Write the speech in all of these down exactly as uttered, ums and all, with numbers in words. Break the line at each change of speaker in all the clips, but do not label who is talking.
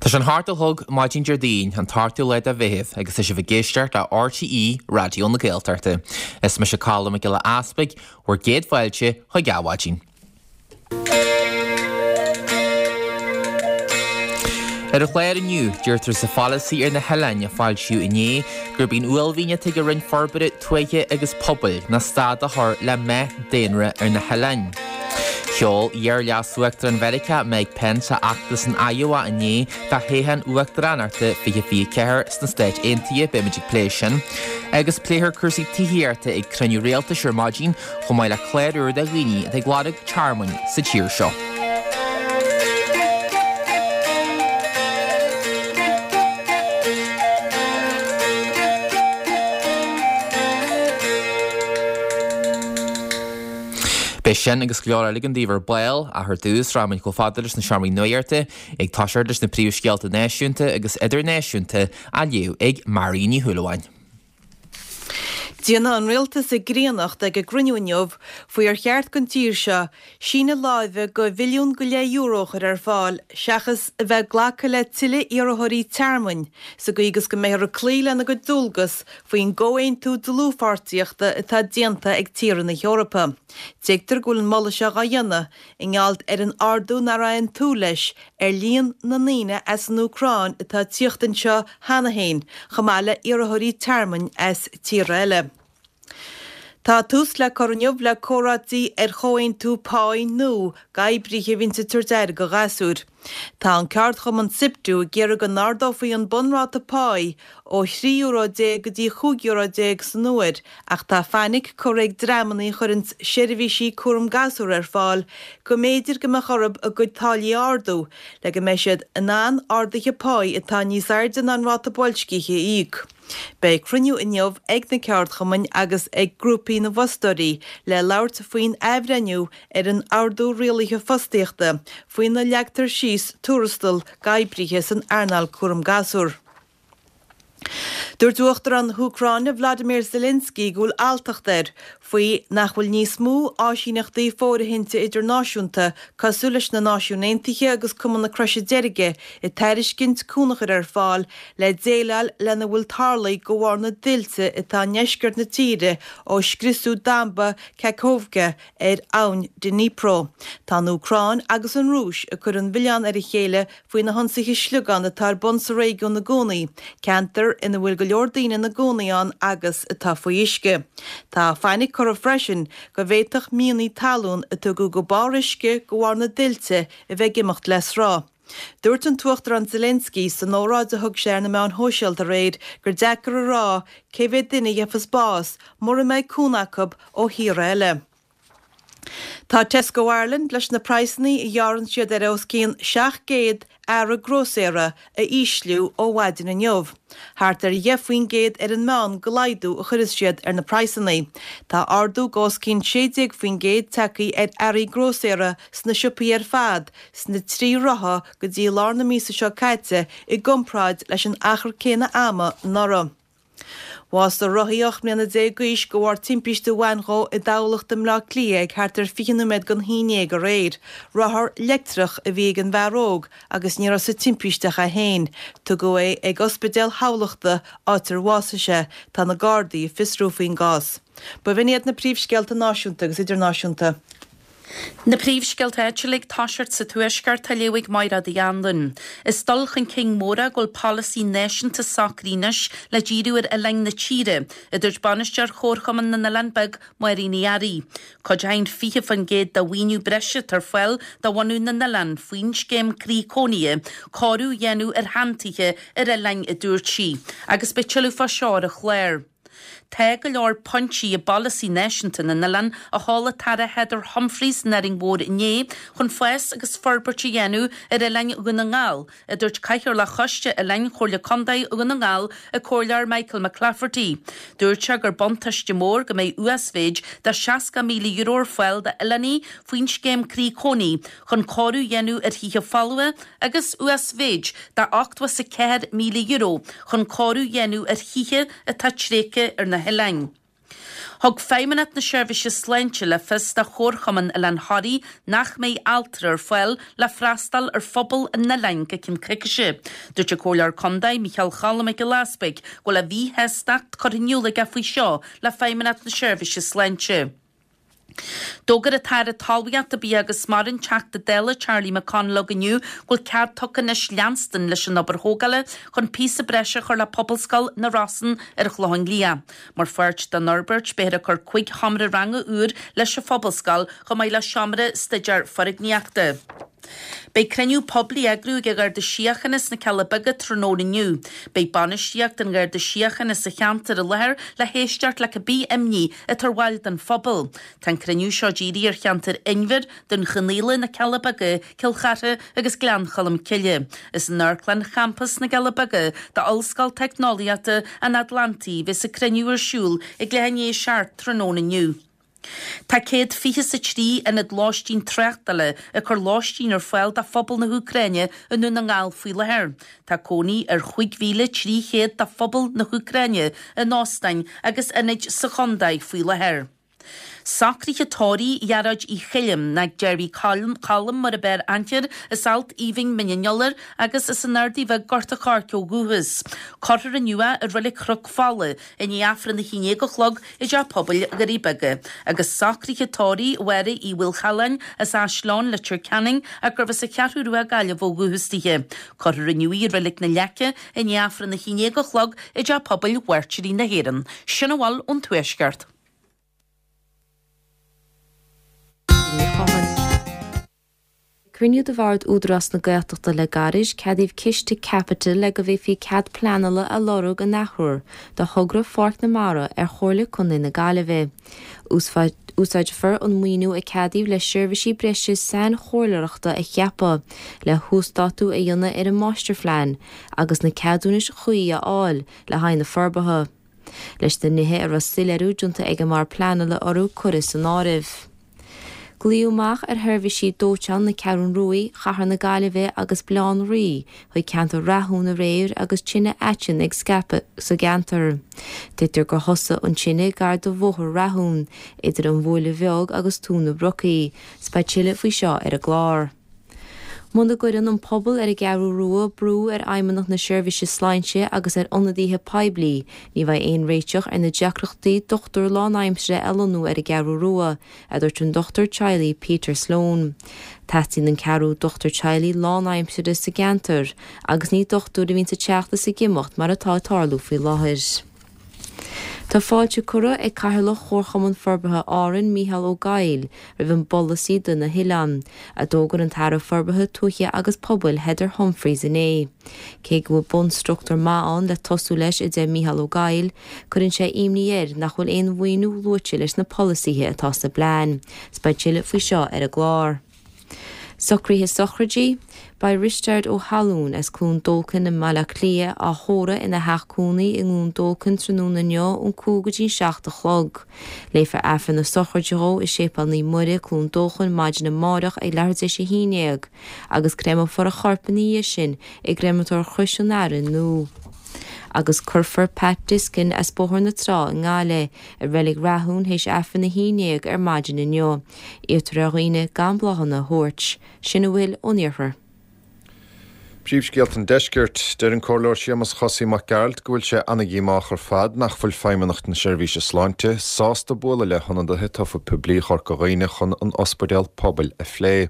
Tá sé an hocht a chlog maidin Déardaoin, an t-ochtú lá de Mheitheamh, agus tá sibh ag éisteacht le RTÉ Raidió na Gaeltachta. Is mise Colm Mac Giolla Easpaig, bhur gcéad fáilte chuig Adhmhaidin. Ar an chlár inniu, deirtear sa pholasaí ar na hoileáin a foilsíodh inné gurb í an uaillmhian atá ag an Roinn Forbartha Tuaithe agus Pobail ná stad a chur le meath daonra ar na hoileáin. Sheol iar-Leas-Uachtarán Mheiriceá Mike Pence a fheachtas in Iowa inné do thoghchán uachtaránachta fiche fiche ceathair sna Stáit Aontaithe, beimid ag plé sin. Agus pléifear cúrsaí tithíochta ag cruinniú rialtais ar maidin, chomh maith le clár úr do dhaoine atá ag lorg tearmainn sa tír seo. Beidh sin agus go leor eile againn daoibh ar ball, ach ar dtús, rachaimid chomh fada leis na seomraí nuachta, ag toiseacht leis na príomhscéalta náisiúnta agus idirnáisiúnta á léamh ag Mary Ní Shúilleabháin.
Déanfaidh an rialtas a gcríonnacht ag a gcruinniú inniu faoi ar cheart don tír seo síneadh láimhe de bhilliún go leith euro a chur ar fáil seachas a bheith ag glacadh le tuilleadh iarrthóirí tearmainn sa gcaoi agus go mbeifear ag cloí lena gcuid dualgas faoin gcomhaontú dlúthpháirtíochta atá déanta ag tíortha na hEorpa. Tuigtear go bhfuil an moladh seo dhá dhéanamh i ngeall ar an ardú nach raibh aon tsúil leis ar líon na ndaoine as an Úcráin atá ag tíocht anseo cheana féin, chomh maith le iarrthóirí tearmainn as tíortha eile. Tá tús le cur inniu le comhráití ar chomhaontú páí nua d'oibrithe a bhíonns ag tabhairt aire do ghasúir. Tá an ceardchumann Siptu ag iarraidh go n-ardófaí an bunráta páí ó thrí euro déag go dtí chúig euro déag san uair ach tá fainic curtha ag dreamanna a chuireanns seirbhísí cúram gasúr ar fáil go mb'fhéidir go mbeadh orthu a gcuid táillí a ardú le go mbeidh siad in ann arduithe páí atá níos airde ná an ráta boilscithe a íoc. Beidh cruinniú inniu ag na ceardchumainn agus ag grúpaí na bhfostóirí le labhairt faoin athbhreithniú ar an Ordú Rialaithe Fostaíochta faoina leagtar síos tuarastal d'oibrithe san earnáil cúram gasúr. Dúirt Uachtarán na hÚcráine Vladimir Zelensky go bhfuil alltacht air faoi nach bhfuil níos mó áisíneachtaí fóirithinte idirnáisiúnta cosúil leis na Náisiúin Aontaithe agus Cumann na Croise Deirge ag tairiscint cúnamh a chur ar fáil le déileáil lena bhfuil tarlaithe de bharr na dtuilte atá i ndeisceart na tíre ó scriosadh damba Kakhovka ar abhainn Dnipro. Tá an Úcráin agus an Rúis ag cur an mhilleáin ar a chéile faoi na hionsaithe sliogán atá ar bun sa réigiún i gcónaí, ceantar ina bhfuil go leor daoine ina gcónaí ann agus atá faoi uisce. Tá fainic curtha freisin go bhféadfadh mianaigh talún a tugadh go barr uisce de bharr na dtuilte a bheith ag imeacht le sruth. Dúirt an tUachtarán Zelensky san óráid a thug sé ar na meáin shóisialta aréir gur deacair a rá cé mhéad duine a gheofas bás mura mbeidh cúnamh acu ó thíortha eile. Tá Tesco Ireland leis na praghsanna a ghearrann siad ar os cionn seacht gcéad earra grósaera a ísliú ó mhaidin inniu. Thart ar dheich faoin gcéad ar an meán de laghdú a chuirfeas siad ar na praghsanna. Tá ardú de os cionn sé déag faoin gcéad tagtha ar earraí grósaera sna siopaí ar fad sna trí ráithe go dtí lár na míosa seo caite i gcomparáid leis an achar céanna ama anuraidh. Bhásaigh rothaí ocht mbliana déag d'aois de bharr timpiste a bhain dhó i dTamhlacht i mBleá Cliath ag thart ar fiche nóiméad don haon déag aréir. Rothar leictreach a bhí ag an bhfear óg agus ní raibh sa timpiste ach é féin. Tugadh é ag Ospidéal Thamhlachta, áit ar bhásaigh sé. Tá na Gardaí ag fiosrú faoin gcás. B'in iad na príomhscéalta náisiúnta agus idirnáisiúnta.
Na príomhscéalta áitiúla ag toiseacht sa Tuaisceart á léamh ag Mairéad Uí Anluain. Is dul chun cinn mór é go bhfuil polasaí náisiúnta socraithe anois le díriú ar oileáin na tíre, a dúirt bainisteoir Chomharchumann na nOileán Beag, Máirín Uí Fhearraigh. Cuid a haon fiche faoin gcéad de mhaoiniú breise atá ar fáil do bhunú na n-oileán faoin scéim Croí Cónaithe, cóiriú a dhéanamh ar sheantithe ar oileáin, a dúirt sí. Agus beidh tuilleadh fá seo ar an chlár. Tá go leor pointí i bPolasaí Náisiúnta na nOileán a sheol an tAire Heather Humphreys san Árainn Mhór inné chun fás agus forbairt a dhéanamh ar oileáin Dhún na nGall, a dúirt Cathaoirleach Choiste Oileáin Chomhairle Contae Dhún na nGall, an Comhairleoir Michael McClafferty. Dúirt sé gur buntáiste mór go mbeidh uasmhéid de seasca míle euro ar fáil d'oileánaigh faoin scéim Croí Cónaithe chun cóiriú a dhéanamh ar thithe folmha agus uasmhéid de ochtó is a ceathair míle euro chun cóiriú a dhéanamh ar thithe atá tréigthe ar na hoileáin. Thug Feidhmeannacht na Seirbhíse Sláinte le fios do Chomharchumann Oileán Thoraí nach mbeidh altra ar fáil le freastal ar phobal an oileáin go ceann coicíse. Dúirt an Comhairleoir Contae Micheál Cholm Mac Giolla Easbuig go bhfuil a mhíshástacht curtha in iúl aige faoi seo le Feidhmeannacht na Seirbhíse Sláinte. D'fhógair an tAire Talmhaíochta, Bia agus Mara, an Teachta Dála Charlie McConalogue inniu go bhfuil cead tugtha anois leanstan leis an obair thógála chun píosa breise a chur le Pobalscoil na Rosann ar an Chlochán Liath. Mar pháirt den fhorbairt beifear ag cur cúig sheomra ranga úr leis an phobalscoil chomh maith le seomra staidéar foirgníochta. Beidh cruinniú poiblí á eagrú ag an Gharda Síochána sna Cealla Beaga tráthnóna inniu. Beidh bainistíocht an Gharda Síochána sa cheantar i láthair le héisteacht le cibé imní atá ar bhaill den phobal. Tá an cruinniú seo dírithe ar cheantar Inbhir, Dún Chonaill, na Cealla Beaga, Cill Chartha agus Gleann Cholm Cille. Is in Amharclann Champas na gCealla Beaga d'Ollscoil Teicneolaíochta an Atlantaigh a bheas an cruinniú ar siúl ag leath i ndiaidh a seacht tráthnóna inniu. Tá céad fiche is a trí ionad lóistín tráchtála ag cur lóistín ar fáil do phobal na hÚcráine i nDún na nGall faoi láthair. Tá cónaí ar chúig mhíle trí chéad de phobal na hÚcráine in óstáin agus ionaid sa chontae faoi láthair. Socruithe tórraimh Ghearóid Uí Choilm, nó Gerry Colm mar ab fhearr aithne air, as Alt Aoibhinn Mín an Iolair agus as an Ardaidh Bheag Gort a' Choirce ó dhúchas. Cuirfear inniu é i Reilig Chnoc Fola i ndiaidh Aifreann a haon déag a chlog i dTeach Pobail Dhoirí Beaga. Agus socruithe tórraimh Mháire Uí Mhaolchalláin as Áisleann, Leitir Ceanainn ach gurbh as an Cheathrú Rua Gaillimh ó dhúchas dithe. Cuirfear inniu í i Reilig na Leice i ndiaidh Aifreann a haon déag a chlog i dTeach Pobail Mhairtírí na hÉireann. Sin a bhfuil ón Tuaisceart.
Ag cruinniú de bhord Údarás na Gaeltachta le gairid, ceadaíodh ciste caipitil le go bhféadfaí cead pleanála a lorg an athuair do thogra Pháirc na Mara ar Chomhairle Contae na Gaillimhe. Úsáidfear an maoiniú a ceadaíodh le seirbhísí breise sainchomhairleoireachta a cheapadh le huasdátú a dhéanamh ar an máistirphlean agus na ceadúnais chuí a fháil le haghaidh na forbartha. Leis na nithe a raibh soiléiriú déanta ag an mBord Pleanála orthu curtha san áireamh. Glaodh amach ar sheirbhísí dóiteáin na Ceathrún Rua, Chathair na Gaillimhe agus Bhaile Átha an Rí chuig ceantar Rathúin aréir agus tine aitinn ag scaipeadh sa gceantar. Tuigtear gur thosaigh an tine gar do Bhóthar Rathúin, idir an Bhuaile Bheag agus Tóin na Brocaí. 'S beidh tuilleadh faoi seo ar an gclár. Muna gcuireann an pobal ar an gCeathrú Rua brú ar Fheidhmeannacht na Seirbhíse Sláinte agus ar ionadaithe poiblí, ní bheidh aon réiteach ar na deacrachtaí dochtúir lánaimseartha a lonnú ar an gCeathrú Rua, a dúirt an dochtúir teaghlaigh Peter Sloane. Teastaíonn an ceathrú dochtúir teaghlaigh lánaimseartha sa gceantar agus ní dochtúir a bhíonns ag teacht is ag imeacht mar atá ag tarlú faoi láthair. Tá fáilte curtha ag Cathaoirleach Chomharchumann Forbartha Árann, Mícheál Ó Gabhaill, roimh an bpolasaí do na hoileáin, a d'fhógair an tAire Forbartha Tuaithe agus Pobail Heather Humphreys inné. Cé go bhfuil bunstruchtúr maith ann le tosú leis, a deir Mícheál Ó Gabhaill, cuireann sé imní air nach bhfuil aon mhaoiniú luaite leis na polasaithe atá sa bplean. 'S beidh tuilleadh faoi seo ar an gclár. Socruithe sochraidí, Beidh Risteard Ó hAllúin as Cluain Dolcáin i mBaile Átha Cliath á thórramh ina theach cónaí i gCluain Dolcáin tráthnóna inniu ón cúig go dtí an seacht a chlog. Léifear Aifreann na sochraide dhó i Séipéal Naomh Muire, Cluain Dolcáin maidin amárach ag leathuair tar éis a haon déag agus créamófar a chorp ina dhiaidh sin i gCreamatóir Chrois an Aire Nua. Agus cuirfear Pat Diskin as Bóthar na Trá i nGaillimh i Reilig Rathún théis Aifreann a haon déag ar maidin inniu. Iarrtar ar dhaoine gan bláthanna a thabhairt. Sin a bhfuil ón iarthar.
Príomhscéalta an Deiscirt, deir an Comhairleoir Séamus Chosaí Mac Gearailt go bhfuil sé an-dhíomách ar fad nach bhfuil Feidhmeannacht na Seirbhíse Sláinte sásta bualadh le hionadaithe tofa poiblí Chorca Dhuibhne chun an ospidéal pobail a phlé.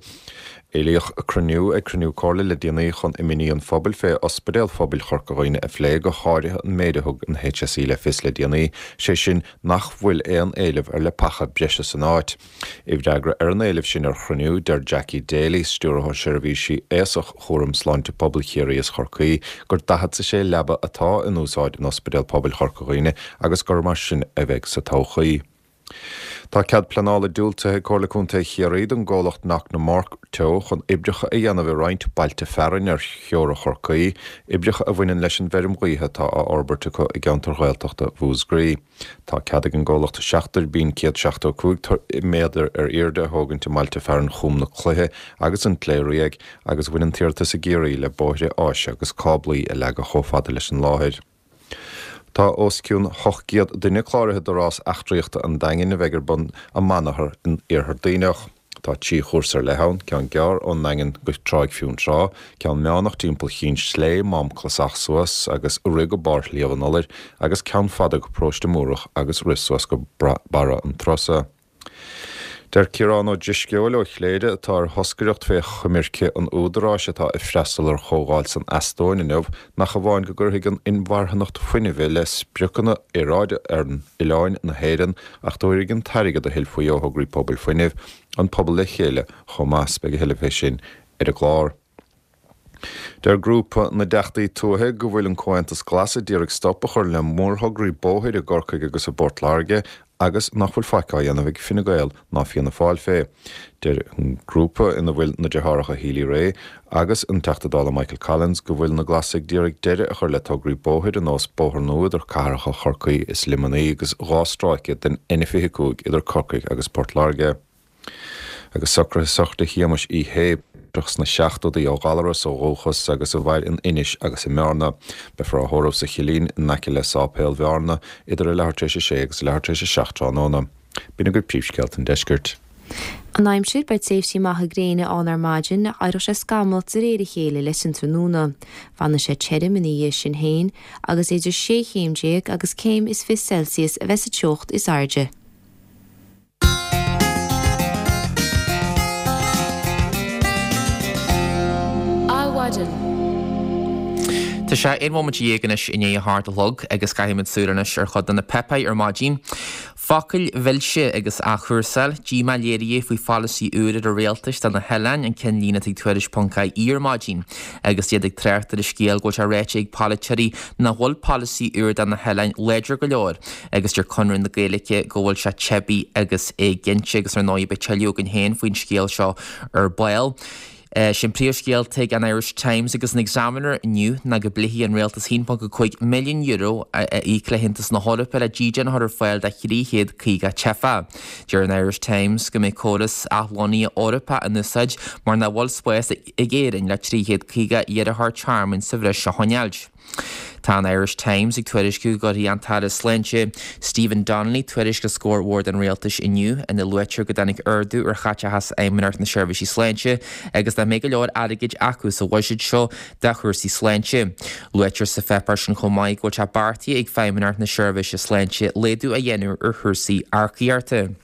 Éilíodh cruinniú ag cruinniú comhairle le déanaí chun imní an phobail fé Ospidéal Phobail Chorca Dhuibhne a phlé, go háirithe an méid a thug an H S E le fios le déanaí, sé sin nach bhfuil aon éileamh ar leapacha breise san áit. I bhfreagra ar an éileamh sin ar chruinniú, deir Jackie Daly, Stiúrthóir Seirbhísí Aosach Chúram Sláinte Pobail Chiarraí is Chorcaí, gur daichead is a sé leaba atá in úsáid in Ospidéal Pobail Chorca Dhuibhne agus gur mar sin a bheidh sa todhchaí. Tá cead pleanála diúltaithe ag Comhairle Contae Chiarraí don gcomhlacht Knocknamore Teo chun oibreacha a dhéanamh i roinnt bailte fearainn ar theora Chorcaí, oibreacha a bhaineann leis an bhfeirm ghaoithe atá á fhorbairt acu i gceantar Ghaeltachta Mhúscraí. Tá cead ag an gcomhlacht seacht dtuirbín céad seachtó cúig méadar ar airde a thógaint i mbailte fearainn Chúm na Cloiche agus an tSléibhe agus bhain an t-iarratas i gCiarraí le bóithre áise agus cáblaí a leagadh chomh fada leis an láthair. Tá os cionn ocht gcéad duine cláraithe do rás eachtraíochta an Daingin a bheidh ar bun i Manathar in Iarthar Duibhneach. Tá trí chúrsa ar leith ann, ceann gearr ón nDaingean go Tráigh Fionntrá, ceann meánach timpeall Chinn Slé, Mám Clasach suas agus rith go barr Shliabh an Iolair agus ceann fada go Paróiste Múrach agus rith suas go Barra an Trosa. Deir Ciarán Ó Drisceoil ó Chléire, atá ar thoscaireacht fé choimirce an Údaráis atá ag freastal ar chomhdháil san Eastóin inniu, nach amháin go gcuirfidh an inmharthanacht fuinnimh le spriocanna aeráide ar oileáin na hÉireann ach tabharfaidh an t-airgead a thuillfí ó thograí pobail fuinnimh an pobal le chéile chomh maith. Beidh a thuilleadh fé sin ar an gclár. Deir grúpa na dTeachtaí Tuaithe go bhfuil an Comhaontas Glas ag iarraidh stop a chur le mórthograí bóthair i gCorcaigh agus i bPort Láirge agus nach bhfuil faic á dhéanamh ag Fine Gael ná Fianna Fáil fé. Deir an grúpa, ina bhfuil na deartháireacha Healy-Rae agus an Teachta Dála Michael Collins, go bhfuil na Glasaigh ag iarraidh deireadh a chur le tograí bóthair ar nós bóthar nua idir cathracha Chorcaí is Luimnigh agus dhá stráice den N fiche cúig idir Corcaigh agus Port Láirge. Agus socruithe sochraide Shéamais Uí Shé, sna seachtóidí ó Ghallaras ó dhúchas agus a mhair in Inis agus i mBearna. Beifear á thórramh sa Chillín in aice le Sáipéal Bhearna idir a leathuair tar éis a sé agus a leathuair tar éis a seacht tráthnóna. B'in agaibh príomhscéalta an deiscirt.
An aimsir, Beidh tréimhsí maithe gréine ann ar maidin ach éireoidh sé scamallach de réir a chéile leis an tráthnóna. Fanfaidh sé tirim ina dhiaidh sin féin agus idir sé chéim déag agus céim is fiche Celsius a bheas sa teocht is airde.
Adhmhaidin. Tá sé aon bhomaite dhéag anois i ndiaidh a hocht a chlog agus caithfimid súil anois ar chuid de na páipéir ar maidin. Focail mhilse agus athchúrsáil, díomá léirithe faoi pholasaí úr an rialtais do na hoileáin, an ceannlíne atá ag Tuairisc ponc ie ar maidin agus iad ag trácht ar an scéal go bhfuil sé ráite ag polaiteoirí nach bhfuil polasaí úr do na hoileáin láidir go leor agus deir Conradh na Gaeilge go bhfuil sé teibí agus éiginnte agus ar ndóigh beidh tuilleadh againn féin faoin scéal seo ar ball. Sin príomhscéal ag an Irish Times agus an Examiner inniu ná go bpléifidh an rialtas a haon ponc a cúig milliún euro a íoc le hAontas na hEorpa le dídean a chur ar fáil do thrí chéad caoga teifeach. Deir an Irish Times go mbeidh córas athlonnaithe Eorpach in úsáid mar nach bhfuil spás ag Éirinn le trí chéad caoga iarrthóir tearmainn sa bhreis a choinneáilt. Tá an Irish Times ag tuairisciú go gcuirfidh an tAire Sláinte Stephen Donnelly tuairisc os comhair Bhord an Rialtais inniu ina luaitear go dtáinig ardú ar chaiteachas Fheidhmeannacht na Seirbhísí Sláinte agus nach mbeidh go leor airgid acu sa bhuiséad seo do chúrsaí sláinte. Luaitear sa pháipéar sin chomh maith go bhfuil sé beartaithe ag Feidhmeannacht na Seirbhíse Sláinte laghdú a dhéanamh ar chúrsaí earcaíochta.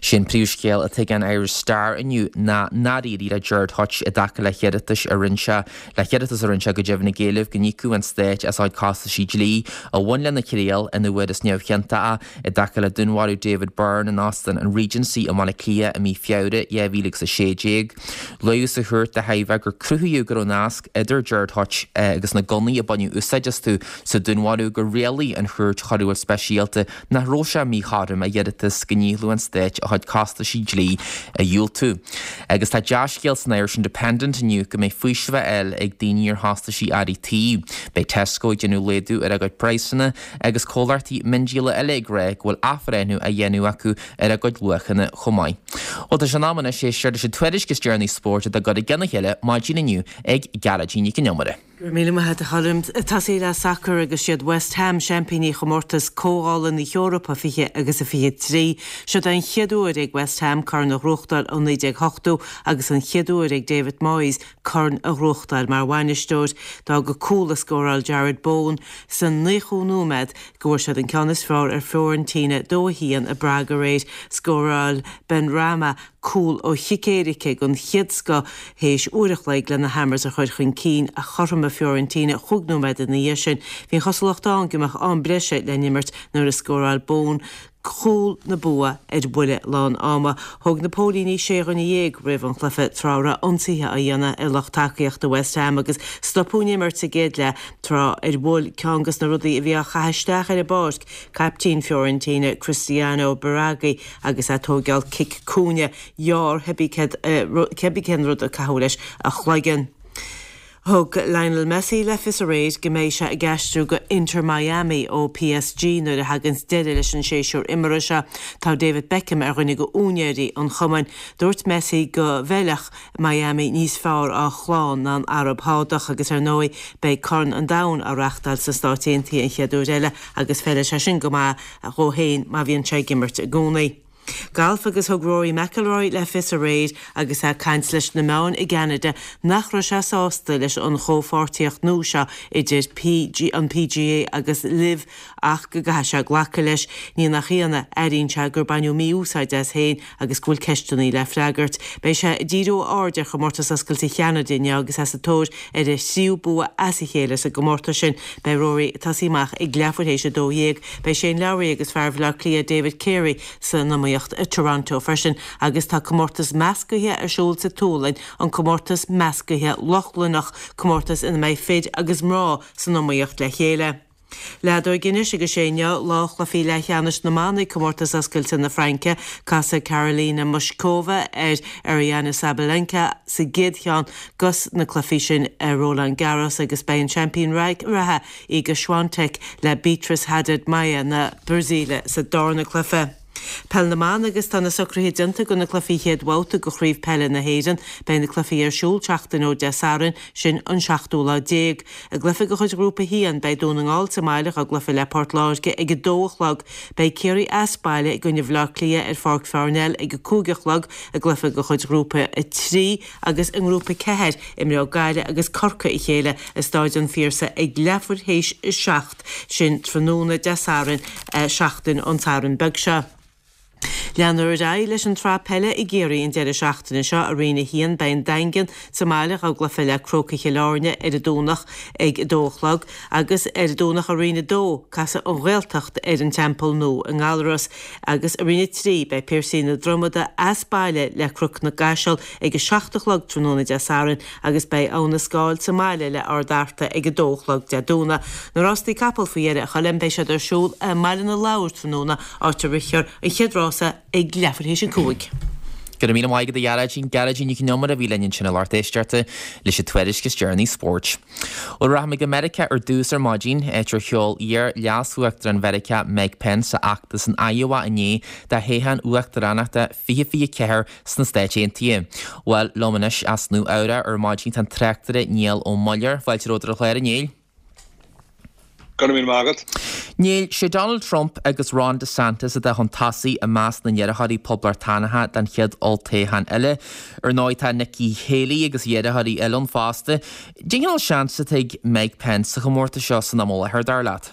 Sin príomhscéal atá ag an Irish Star inniu ná nár éirigh le Gerard Hutch i dtaca le hiarratais a rinne sé le hiarratas a rinne sé go deimhin ag éileamh go n-íocfadh an Stát as a chuid costaisí dlí a bhain lena thriail ina bhfuarthas neamhchiontach é i dtaca le dúnmharú David Byrne in Óstán an Regency i mBaile Átha Cliath i mí Feabhra dhá mhíle agus a sé déag. Luadh sa chúirt de thairbhe gur cruthaíodh go raibh nasc idir Gerard Hutch agus na gunnaí a baineadh úsáid astu sa dúnmharú gur rialaigh an Chúirt Choiriúil Speisialta nach raibh sé míchothrom a iarratas go ndíolfadh an Stáit a chuid costaisí dlí a dhiúltú. Agus tá dea-scéal san Irish Independent inniu go mbeidh faoiseamh á fháil ag daoine ar chostaisí earraí tí. Beidh Tesco ag déanamh laghdú ar a gcuid praghsanna agus comhlachtaí miondíola eile ag rá go bhfuil athbhreithniú á dhéanamh acu ar a gcuid luachanna chomh maith. Bhuel tá sé in am anois éisteacht leis an tuairisc is deireanaí spóirt atá curtha i gcionn a chéile maidin inniu ag Gearóidín Nic an Iomaire.
Go raibh míle maith agat a Choilm. Tosaí le sacar agus siad West Ham seaimpíní chomórtas Comhdhála na hEorpa fiche agus a fiche trí. Siod an chéad uair ag West Ham corn a ghnóthachtáil ó naoi déag ochtó agus an chéad uair ag David Moyes corn a ghnóthachtáil mar bhainisteoir. D'fhág cúl a scóráil Jarrod Bowen sa naochú nóiméad go bhfuair siad an ceann is fearr ar Fiorentina dó a haon i bPrague aréir. Scóráil Benrahma cúl ó chic éirice den chéad scoth théis uair a chloig le na Hammers a chur chun cinn ach chothromaigh Fiorentina chúig nóiméad ina dhiaidh sin. Bhí an chosúlacht ann go mbeadh am breise le n-imirt nuair a scóráil Bowen cúl na bua ar bhuille lán ama. Thóg na póilíní sé dhuine dhéag roimh an chluiche tráth a raibh ionsaithe á dhéanamh ar lucht tacaíochta West Ham agus stopadh an imirt sa gcéad leath tráth ar bhuail ceann de na rudaí a bhí á chaitheamh isteach ar an bpáirc caiptín Fiorentina Cristiano Biraghi agus é ag tóigeáil cic cúinne. Ghearr cibé cén rud a caitheadh leis a chloigeann. Thug Lionel Messi le fios aréir go mbeidh sé ag aistriú go Inter Miami ó PSG nuair a thaganns deireadh leis an séasúr imeartha seo. Tá David Beckham ar dhuine de úinéirí an chumainn. Dúirt Messi go bhfeilfeadh Miami níos fearr dá chlann ná an Araib Shádach agus ar ndóigh beidh Corn an Domhain á reáchtáil sna Stáit Aontaithe an chéad uair eile agus feilfidh sé sin go maith dhó féin má bhíonn sé ag imirt i gcónaí. Galf agus thug Rory McIlroy le fios aréir agus é ag caint leis na meáin i gCeanada nach raibh sé sásta leis an chomhpháirtíocht nua seo idir PG, an PGA agus LIV ach go gcaithfidh sé glacadh leis. Ní nach ionadh, airíonn sé gur baineadh mí-úsáid as féin agus go bhfuil ceisteanna le freagairt. Beidh sé ag díriú a aird ar Chomórtas Oscailte Cheanada inniu agus é sa tóir ar a thríú bua as a chéile sa gcomórtas sin. Beidh Rory ag tosaí amach ag leathuair théis a dó dhéag. Beidh Shane Lowry agus fear Bhaile Átha Cliath David Carey san iomaíocht i Toronto freisin agus tá comórtas meascaithe ar siúl sa tSualainn, an Comórtas Meascaithe Lochlannach, comórtas ina mbeidh fir agus mná san iomaíocht le chéile. Leadóg anois agus is é inniu lá chluichí leathcheannais na mban i gComórtas Oscailte na Fraince. Casfaidh Karolina Mushkova ar Aryna Sabalenka sa gcéad cheann dos na cluichí sin i Roland Garros agus beidh an seaimpín reatha Iga Swiatek le Beatriz Haddad Maia na Brasaíle sa darna cluiche. Peil na mBan agus tá na socruithe déanta do na cluichí chéad bhabhta de Chraobh Peile na hÉireann. Beidh na cluichí ar siúl seachtain ó Dé Sathairn, sin an seachtú lá déag. I gcluiche de chuid Ghrúpa a haon, beidh Dún na nGall sa mbaile dá gcluiche le Port Láirge ag a dó a chlog. Beidh Ciarraí as baile i gcoinne Bhaile Átha Cliath ar Pháirc Pharnell ag a cúig a chlog i gcluiche de chuid Ghrúpa a trí agus i nGrúpa ceathair, imreoidh Gaillimh agus Corcaigh a chéile i Stáid an Phiarsaigh ag leathuair théis a seacht, sin tráthnóna Dé Sathairn, seachtain ón Satharn beag seo. Leanfar ar aghaidh leis an tsraith peile i gCiarraí an deireadh seachtaine seo. I Roinn a haon, beidh an Daingean sa mbaile dá gcluiche le Crócaigh Chill Airne ar an Domhnach ag a dó a chlog agus ar an Domhnach i Roinn a dó, casfaidh an Ghaeltacht ar an Teampall Nua i nGallaras agus i Roinn a trí, beidh Piarsaigh na Dromoda as baile le Cnoc na gCaiseal ag a seacht a chlog tráthnóna Dé Sathairn agus beidh Abha na Scáil sa mbaile le Ard Fhearta ag a dó a chlog Dé Domhnaigh. Na rástaí capall faoi dheireadh a Choilm, beidh siad ar siúl i mBaile na Lobhar tráthnóna, áit a rithfear an chéad rása ag leathuair théis a cúig.
Go raibh míle maith agat a Ghearóidín, Gearóidín Nic Con Iomaire a bhí linn ansin a lucht éisteachta leis an tuairisc is deireanaí spóirt. Bhuel, rachaimid go Meiriceá ar dtús ar maidin, áit ar sheol iar-leas-uachtarán Mheiriceá Mike Pence a fheachtas in Iowa inné do thoghchán uachtaránachta fiche fiche ceathair sna Stáit Aontaithe. Bhuel, liom anois as Nua Eabhrac ar maidin tá an tráchtaire Niall Ó Muilleoir. Fáilte romhat ar an chlár, a Néill.
Go raibh míle maith agat.
Néill, sé Donald Trump agus Ron DeSantis atá chun tosaigh i measc na n-iarrthóirí Poblachtánacha don chéad olltoghchán eile. Ar ndóigh tá Nikki Haley agus iarrthóirí eile ann fosta. Cén cineál seans atá ag Mike Pence sa chomórtas seo san am i láthair, dar leat?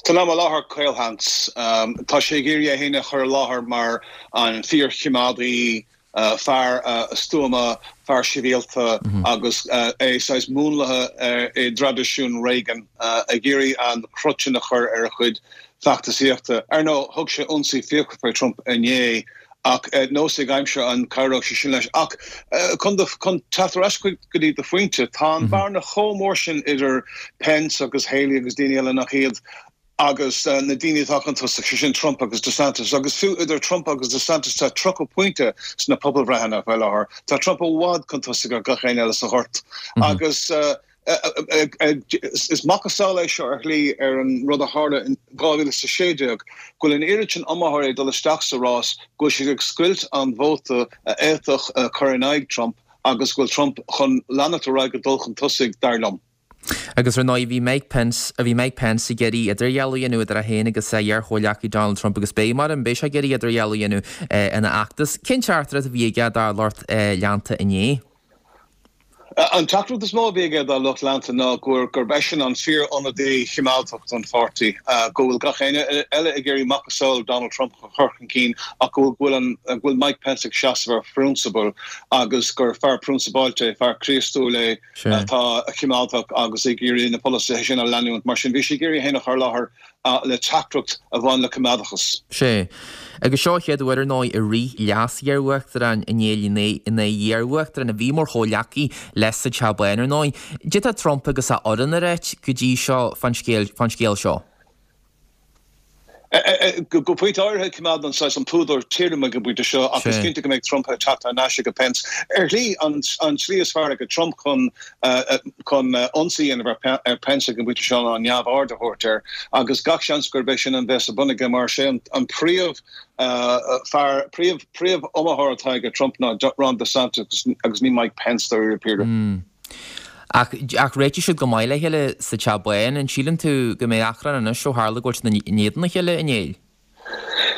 San am i láthair, caolsheans. Tá sé ag iarraidh é féin a chur i láthair mar an fíorchoimeádaí, fear stuama, fear sibhialta agus é saghas múnlaithe i dtraidisiún Reagan, ag iarraidh an crot sin a chur ar a chuid feachtasaíochta. Ar ndóigh, thug sé ionsaí fíochmhar faoi Trump inné ach nós ag aimsir an cabhróidh sé sin leis. Ach chun teacht ar ais go dtí do phointe, tá an bhearna chomh mór sin idir Pence agus Haley agus daoine eile nach iad, agus na daoine atá chun tosaigh, sé sin Trump agus DeSantis, agus fiú idir Trump agus DeSantis tá tríocha pointe sna pobalbhreitheanna faoi láthair. Tá Trump i bhfad chun tosaigh ar gach éinne eile sa ghort. Agus is macasamhail é seo ar shlí ar an rud a tharla in dhá mhíle is a sé déag, go bhfuil an oiread sin iomaitheoirí ag dul isteach sa rás go bhfuil siad ag scoilt an vóta a fhéadfadh cur in aghaidh Trump agus go bhfuil Trump chun leanacht ar aghaidh ag dul chun tosaigh, dar liom.
Agus ar ndóigh bhí Mike Pence, bhí Mike Pence ag iarraidh idirdhealú a dhéanamh idir é féin agus a iar-chomhghleacaí Donald Trump agus beidh, mar beidh sé ag iarraidh idirdhealú a dhéanamh ina fheachtas. Cén teachtaireacht a bhí aige dá lucht leanta inné?
An teachtaireacht is mó a bhí aige dá lucht leanta ná gurb eisean an fíor-ionadaí choimeádach don pháirtí, go bhfuil gach éinne eile ag iarraidh macasamhail Donald Trump a chur chun cinn ach go bhfuil go bhfuil Mike Pence ag seasamh ar phrionsabail agus gur fear prionsabáilte é, fear Críostúil é. atá coimeádach agus ag iarraidh na polasaithe sin a leanúint. Mar sin, bhí sé ag iarraidh é féin a chur i láthair le teachtaireacht a bhain le coimeádachas.
Sea. Agus seo an chéad uair, ar ndóigh, a rith leas-iar-uachtarán in éadan iar-uachtarán a bhí mar chomhghleacaí leis sa Teach Bán, ar ndóigh. Cad é atá Trump agus a fhoireann a ráit go dtí seo fán scéal seo?
Go pointe áirithe coimeádann saghas an púdar tirim ag an bpointe seo ach is cinnte go mbeidh Trump ag teacht thar n-ais ag Pence. Ar shlí an tslí is fearr ag Trump chun chun ionsaí a dhéanamh ar Pence ag an bpointe seo ná neamhaird a thabhairt air agus gach seans gurb é sin a bheas ar bun aige mar sé an príomh fear príomh príomh iomaitheoir atá ag Trump ná Ron DeSantis agus ní Mike Pence dáiríre píre.
Ach ach réitigh siad go maith le chéile sa Teach Bán, an síleann tú go mbeidh achrann anois ó tharla go bhfuil siad in éadan a chéile inné?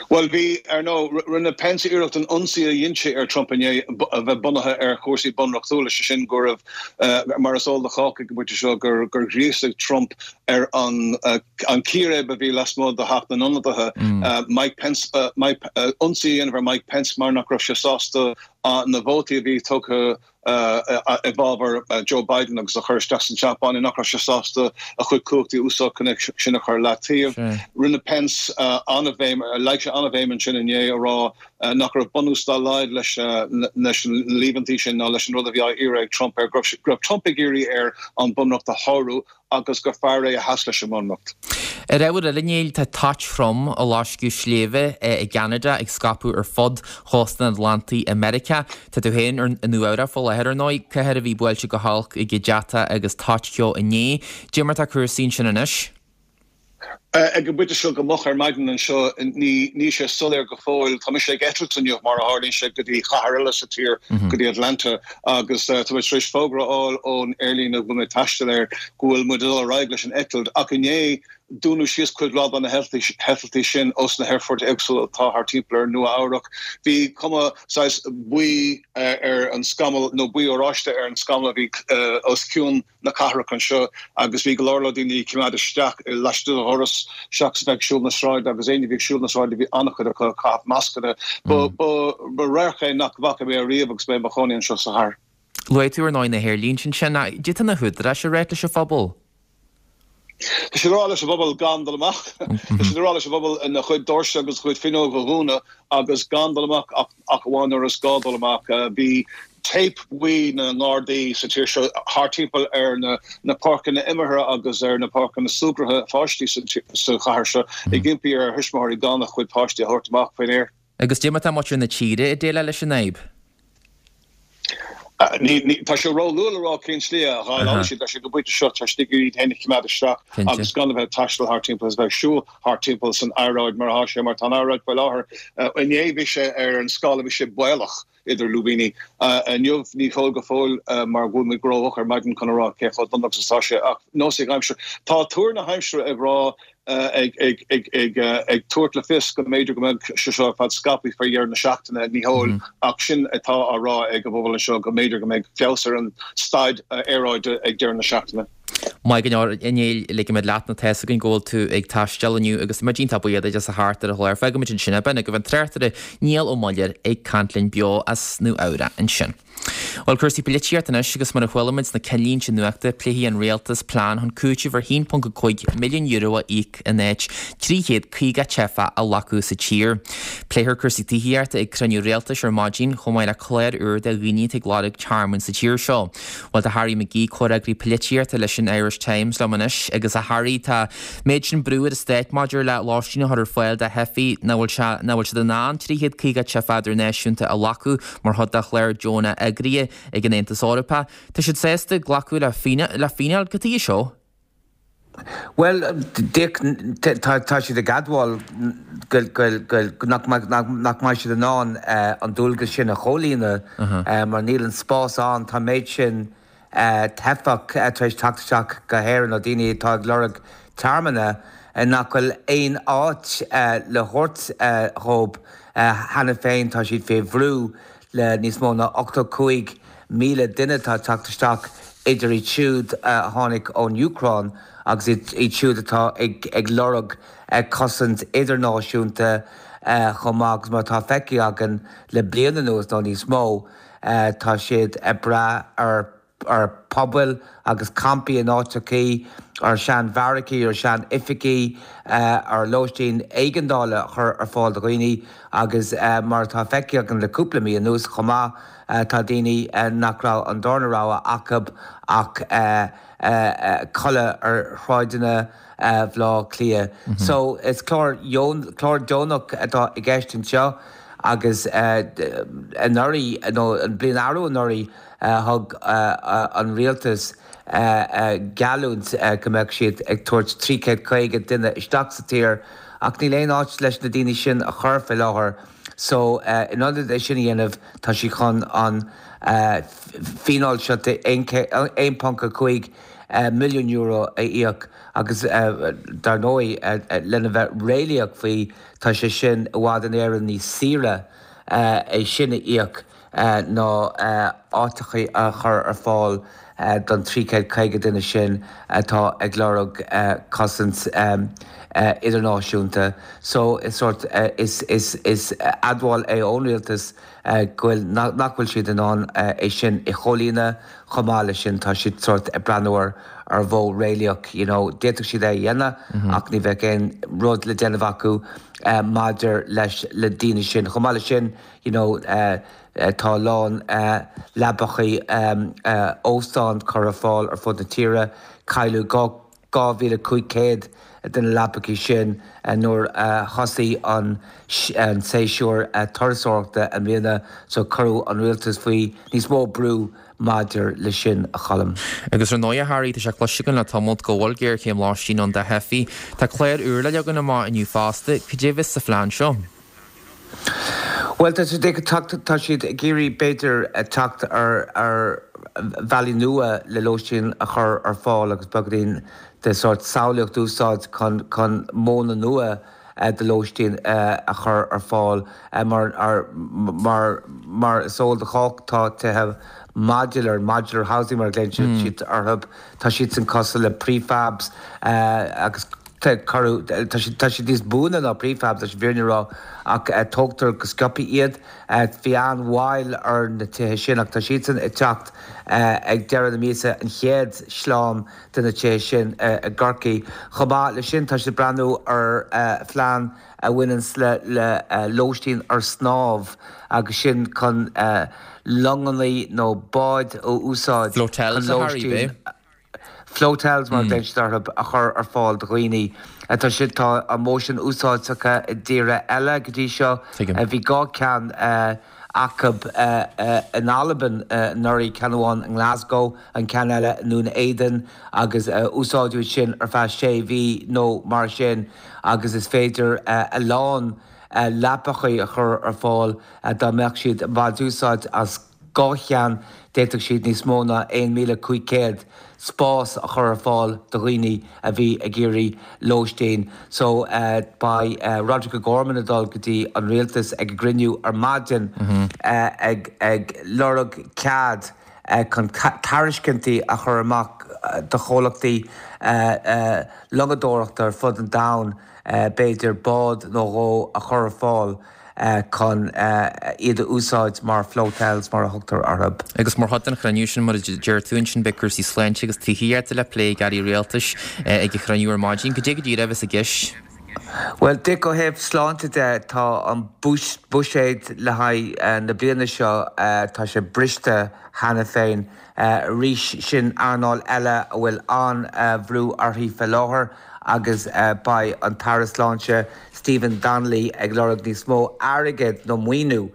Bhuel bhí, ar ndóigh, rinne Pence iarracht an ionsaí a dhein sé ar Trump inné a bheith bunaithe ar chúrsaí bunreachtúla, sé sin go raibh, mar is eol do chách ag an bpointe seo, gur gur ghríosaigh Trump ar an an círéib a bhí lasmuigh de Theach na nIonadaithe Mike Pence Mike ionsaí a dhéanamh ar Mike Pence mar nach raibh sé sásta na vótaí a bhí tugtha i bhfabhar Joe Biden agus a chur isteach san Teach Bán, nach raibh sé sásta a chuid cumhachtaí a úsáid chun é sin a chur leataobh. Rinne Pence an-bhéim, leag sé an-bhéim ansin inné a rá nach raibh bunús dá laghad leis na líomhaintí sin ná leis an rud a bhí á iarraidh ag Trump air, go raibh Trump ag iarraidh air an Bunreacht a shárú agus gur fear é a sheas leis an mBunreacht.
Ar ábhar eile, Niall, tá toit throm ag loisceadh sléibhe i gCeanada ag scaipeadh ar fud chósta an Atlantaigh i Meiriceá. Tá tú féin i Nua Eabhrac faoi láthair, ar ndóigh, cathair a bhí buailte go holc ag deatach agus toit cheo inné. Cad é mar atá cúrsaí ansin anois?
Ag an bpointe seo go moch ar maidin anseo, ní níl sé soiléir go fóill. Tá mise ag eitilt inniu, mar a tharlaíonn sé, go dtí cathair eile sa tír, go dtí Atlanta, agus tá mé tar éis fógra a fháil ón aerlíne a bhfuil mé ag taisteal air go bhfuil muid ag dul ar aghaidh leis an eitilt. Ach inné, dúnadh síos cuid mhaith de na heitiltí sin os na haerfoirt éagsúla atá thart timpeall ar Nua-Eabhrac. Bhí cuma saghas buí ar an scamall, nó buí oráiste ar an scamall a bhí os cionn na cathrach anseo agus bhí go leor leor daoine ag coimeád isteach laistigh de dhoras seachas bheith ag siúl na sráide agus éinne a bhí ag siúl na sráide bhí an-chuid acu ag caitheamh mascanna. Ba radharc é nach bhfaca mé ariamh agus mé i mo chónaí anseo sa chathair.
Luaigh tú ar ndóigh na haerlínte ansin. Cad é tá na húdaráis a ráit leis an phobal?
Tá siad ag rá leis an bpobal gan dul amach. Tá siad ag rá leis an bpobal a chuid doirse agus a chuid fuinneog a dhúnadh agus gan dul amach ach amháin nuair is gá dul amach. Bhí téip bhuí na nGardaí sa tír seo thart timpeall ar na páirceanna imeartha agus ar na páirceanna súgartha pháistí sa chathair seo ag impí ar thuismitheoirí gan a chuid páistí a thabhairt amach faoin aer.
Agus cad é mar atá muintir na tíre ag déileáil leis an fhadhb?
Tá sé ró-luath le rá cén tslí a dhéileálfaidh siad leis ag an bpointe seo, tá siad ag iarraidh iad féin a choimeád isteach agus gan a bheith ag taisteal thart timpeall is a bheith ag siúl thart timpeall san aeráid mar atá sé, mar tá an aeráid faoi láthair. Inné bhí sé ar an scála, bhí sé baolach idir lúibíní. Inniu ní heol go fóill mar go bhfuil muid rómhoch ar maidin chun a rá cé chomh dona agus atá sé ach nós ag aimsir. Tá tuar na haimsire ag rá ag tabhairt le fios go mb'fhéidir go mbeidh sé seo ar fad scaipthe faoi dheireadh na seachtaine, ní heol, ach sin atá á rá ag an bpobal anseo, go mb'fhéidir go mbeidh feabhas ar an staid aeráide ag deireadh na seachtaine.
Maith go leor, a Néill, ligfimid leat nó tá a fhios againn go bhfuil tú ag taisteal inniu agus muid iontach buíoch duit as a theacht ar an chlár. Fágfaimid ansin é. B'in agaibh an tráchtaire Niall Ó Muilleoir ag caint linn beo as Nua Eabhrac ansin. Bhuel, cúrsaí polaitíochta anois agus mar a chuala muid sna cinnlínte nuachta, pléifidh an rialtas plean chun cúiteamh ar haon ponc a cúig milliún euro a íoc in áit trí chéad caoga teifeach a ghlacadh sa tír. Pléifear cúrsaí tithíochta ag cruinniú rialtais ar maidin, chomh maith le clár úr do dhaoine atá ag lorg tearmainn sa tír seo. Bhuel, tá Harry McGee, comhfhreagraí polaitíochta leis an Irish Times liom anois agus a Harry, tá méid sin brú ar an stát maidir le lóistín a chur ar fáil do theifigh nach bhfuil sé, nach bhfuil siad in ann trí chéad caoga teifeach idirnáisiúnta a ghlacadh mar chuid de chlár deonach eagraithe ag an Aontas Eorpach. Tá siad sásta glacadh le fíneáil. Cad chuige seo?
Bhuel, Dick, tá siad ag admháil nach mbeidh siad in ann an dualgas sin a chomhlíonadh mar níl an spás ann. Tá an méid sin teifeach tar éis teacht isteach go hÉirinn nó daoine atá ag lorg tearmanna nach bhfuil aon áit le thabhairt dhóibh. Cheana féin tá siad fé bhrú le níos mó ná ochtó cúig míle duine atá ag teacht isteach, idir iad siúd a tháinig ón Úcráin agus iad siúd atá ag lorg cosaint idirnáisiúnta chomh maith agus mar atá feicthe againn le bliain anuas nó níos mó, tá siad ag brath ar ar pubaill agus campaí in áiteachaí ar sean-bheairicí, ar sean-oifigí, ar lóistín éigeandála a chur ar fáil do dhaoine agus mar atá feicthe againn le cúpla mí anuas chomh maith, tá daoine nach raibh an darna rogha acu ach codladh ar shráideanna Bhaile Átha Cliath. So is clár clár deonach atá i gceist anseo agus anuraidh, nó an bhliain arú anuraidh, thug an rialtas geallúint go mbeadh siad ag tabhairt trí chéad caoga duine isteach sa tír ach níl aon áit leis na daoine sin a chur fé láthair so in ionad é sin a dhéanamh tá siad chun an fíneáil seo de aon ponc a cúig milliún euro a íoc agus dar ndóigh lena bheith réalaíoch faoi tá sé sin i bhfad in Éirinn níos saoire é sin a íoc ná áiteachaí a chur ar fáil don trí chéad caoga duine sin atá ag lorg cosaint idirnáisiúnta. So is sórt, is, is, is admháil é ón rialtas go bhfuil, nach bhfuil siad in ann é sin a chomhlíonadh. Chomh maith leis sin tá siad sórt ag breathnú ar ar mhodh réalaíoch, you know, d'fhéadfadh siad é a dhéanamh ach ní bheadh aon rud le déanamh acu maidir leis na daoine sin. Chomh maith leis sin, you know, tá a lán leapachaí óstán curtha ar fáil ar fud na tíre. Cailleadh dhá mhíle cúig chéad de na leapachaí sin nuair a thosaigh an séasúr turasóireachta i mbliana so cuireadh an rialtas faoi níos mó brú maidir leis sin, a Choilm.
Agus ar ndóigh, a Harry, tá sé cloiste againn le tamalt go bhfuil géarchéim lóistín ann do theifigh. Tá clár úr le leagan amach inniu fosta. Cad é a bheas sa phlean seo?
Bhuel, tá siad ag teacht, tá siad ag iarraidh b'fhéidir teacht ar ar bhealaí nua le lóistín a chur ar fáil agus beagáinín de sórt samhlaíocht a úsáid chun chun modhanna nua de lóistín a chur ar fáil mar mar mar is eol do chách tá tithe modular, modular housing mar a ghlaonn siad orthu, tá siadsan cosúil le prefabs agus Cuireadh, tá siad, tá siad níos buaine ná prefabs leis an bhfírinne a rá ach tógtar go sciobtha iad. Bhí an-mhoill ar na tithe sin ach tá siadsan ag teacht ag deireadh na míosa, an chéad sleán de na tithe sin i gCorcaigh. Chomh maith leis sin tá siad ag breathnú ar phlean a bhaineanns le le lóistín ar snámh agus sin chun longannaí nó báid a úsáid chun
Flotels a Harry,
lóistín
b'é?
Flotels mar a ghlaonn siad orthu, a chur ar fáil do dhaoine. Tá siad, tá an modh sin úsáidte i dtíortha eile go dtí seo. Bhí dhá cheann acu in Albain anuraidh, ceann amháin i nGlasgow, an ceann eile i nDún Éideann agus úsáideadh iad sin ar feadh sé mhí nó mar sin agus is féidir a lán leapachaí a chur ar fáil dá mbeadh siad ag baint úsáid as dhá cheann, d'fhéadfadh siad níos mó ná aon míle cúig chéad spás a chur ar fáil do dhaoine a bhí ag iarraidh lóistín. So beidh Roderic O'Gorman ag dul go dtí an rialtas ag an gcruinniú ar maidin ag ag lorg cead chun tairiscintí a chur amach do chomhlachtaí longadóireachta ar fud an domhain b'fhéidir bád nó dhó a chur ar fáil chun iad a úsáid mar flotels mar a thugtar orthu.
Agus mar chuid den chruinniú sin, mar a deir tú ansin, beidh cúrsaí sláinte agus tithíochta le plé ag airí rialtais ag an chruinniú ar maidin. Cad é go díreach a bheas i gceist?
Bhuel, Dick, ó thaobh sláinte de, tá an buiséad le haghaidh na bliana seo, tá sé briste cheana féin. Arís, sin earnáil eile a bhfuil an-bhrú uirthi fé láthair agus beidh an tAire Sláinte Stephen Donnelly ag lorg níos mó airgid nó maoiniú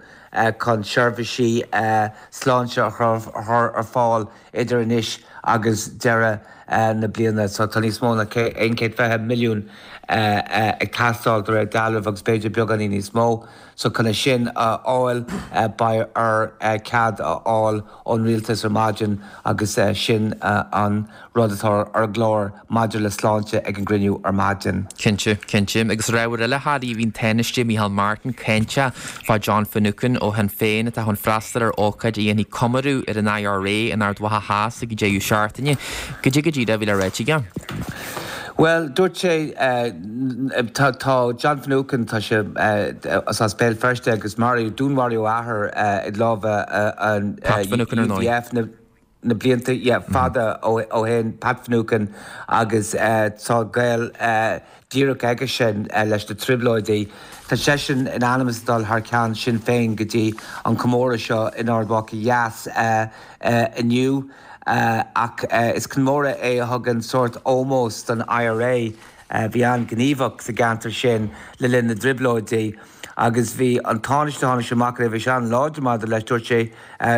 chun seirbhísí sláinte a chur ar fáil idir anois agus deireadh na bliana. So tá níos mó ná aon chéad fiche milliún ag teastáil de réir dealraimh agus b'fhéidir beagáinín níos mó. So chun é sin a fháil beidh air cead a fháil ón rialtas ar maidin agus sin an rud atá ar an gclár maidir le sláinte ag an gcruinniú ar maidin.
Cinnte, cinnte. Agus ar ábhar eile, a Harry, bhí an Tánaiste Micheál Martin cáinteach fá John Finucane ó Shinn Féin atá chun freastal ar ócáid a dhéanfaidh comóradh ar an IRA in Ard Mhacha Theas ag an deireadh seachtaine. Cad é go díreach a bhí le ráit aige?
Bhuel, dúirt sé, tá tá John Finucane, tá sé as as Béal Feirste agus maraíodh, dúnmharaíodh a athair i lámha an
Pat Finucane ar ndóigh.
UVF na na blianta yeah, fada ó ó shin Pat Finucane agus tá gaol díreach aige sin leis na trioblóidí. Tá seisean in ainm is dul thar ceann Sinn Féin go dtí an comóradh seo in Ard Mhacha Theas inniu ach is comóradh é a thugann sórt ómós don IRA bhí an-ghníomhach sa gceantar sin le linn na dtrioblóidí agus bhí an Tánaiste tháinig amach roimhe seo an-láidir maidir leis dúirt sé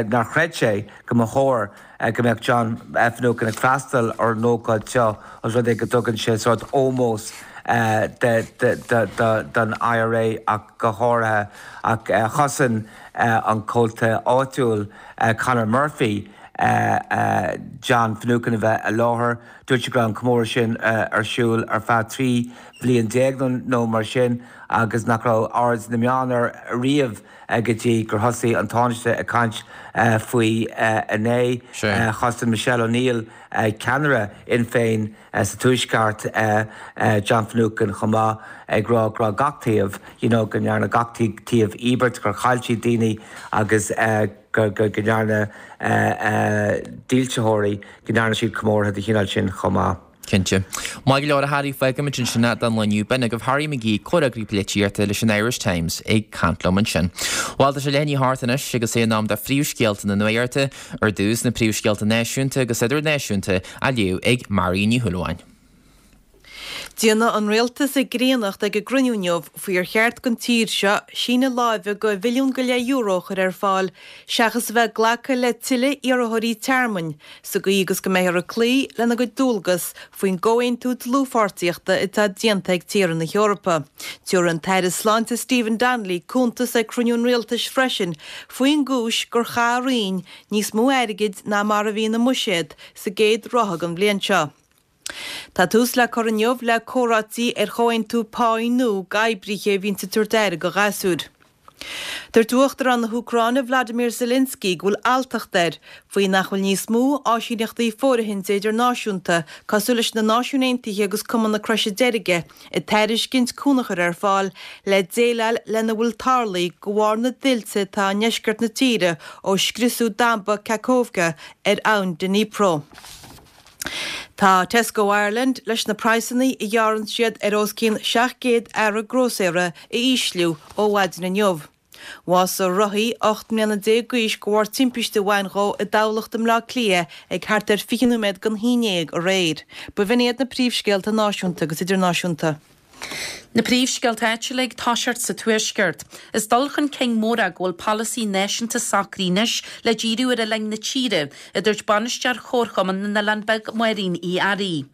nár chreid sé go mba chóir go mbeadh John Finucane ag freastal ar an ócáid seo os rud é go dtugann sé sórt ómós don IRA ach go háirithe ach chosain an comhalta áitiúil Conor Murphy John Finucane a bheith i láthair. Dúirt sé go raibh an comóradh sin ar siúl ar feadh trí bhliain déag nó mar sin agus nach raibh aird na meán air riamh go dtí gur thosaigh an Tánaiste ag caint faoi inné. Chosain Michelle O'Neill, ceannaire Fhinn Féin sa Tuaisceart, John Finucane chomh maith ag rá go raibh gach taobh, you know, go ndearna gach taobh íobairt, gur chaill siad daoine agus go ndearna dílseoirí, go ndearna siad comórtha de chineál sin chomh maith.
Cinnte. Maith go leor a Harry, fágfaimid ansin é don lá inniu. B'in agaibh Harry McGee, comhfhreagraí polaitíochta leis an Irish Times, ag caint liom ansin. Bhuel, tá sé leath i ndiaidh a hocht anois agus é in am do phríomhscéalta na nuachta, ar dtús na príomhscéalta náisiúnta agus idirnáisiúnta á léamh ag Mary Ní Shúilleabháin.
Déanfaidh an rialtas a gcríonnacht ag an gcruinniú inniu faoi ar cheart don tír seo síneadh láimhe de bhilliún go leith euro a chur ar fáil seachas a bheith ag glacadh le tuilleadh iarrthóirí tearmainn sa gcaoi agus go mbeifear ag cloí lena gcuid dualgas faoin gcomhaontú dlúthpháirtíochta atá déanta ag tíortha na hEorpa. Tabharfaidh an tAire Sláinte Stephen Donnelly cuntas ag cruinniú an rialtais freisin faoin gcúis gur chaith a Roinn níos mó airgid ná mar a bhí ina mbuiséad sa gcéad ráithe den bhliain seo. Tá tús le cur inniu le comhráití ar chomhaontú páí nua d'oibrithe a bhíonns ag tabhairt aire do ghasúir. Dúirt Uachtarán na hÚcráine Vladimir Zelensky go bhfuil alltacht air faoi nach bhfuil níos mó áisíneachtaí fóirithinte idirnáisiúnta cosúil leis na Náisiúin Aontaithe agus Cumann na Croise Deirge ag tairiscint cúnamh a chur ar fáil le déileáil lena bhfuil tarlaithe de bharr na dtuilte atá i ndeisceart na tíre ó scriosadh damba Kakhovka ar abhainn Dnipro. Tá Tesco Ireland leis na praghsanna a ghearrann siad ar os cionn seacht gcéad earra grósaera a ísliú ó mhaidin inniu. Bhásaigh rothaí ocht mbliana déag d'aois de bharr timpiste a bhain dhó i dTamhlacht i mBleá Cliath ag thart ar fiche nóiméad don haon déag aréir. B'in iad na príomhscéalta náisiúnta agus idirnáisiúnta.
Na príomhscéalta áitiúla ag toiseacht sa Tuaisceart. Is dul chun cinn mór é go bhfuil polasaí náisiúnta socraithe anois le díriú ar oileáin na tíre, a dúirt bainisteoir Chomharchumann na nOileán Beag Máirín Uí Fhearraigh.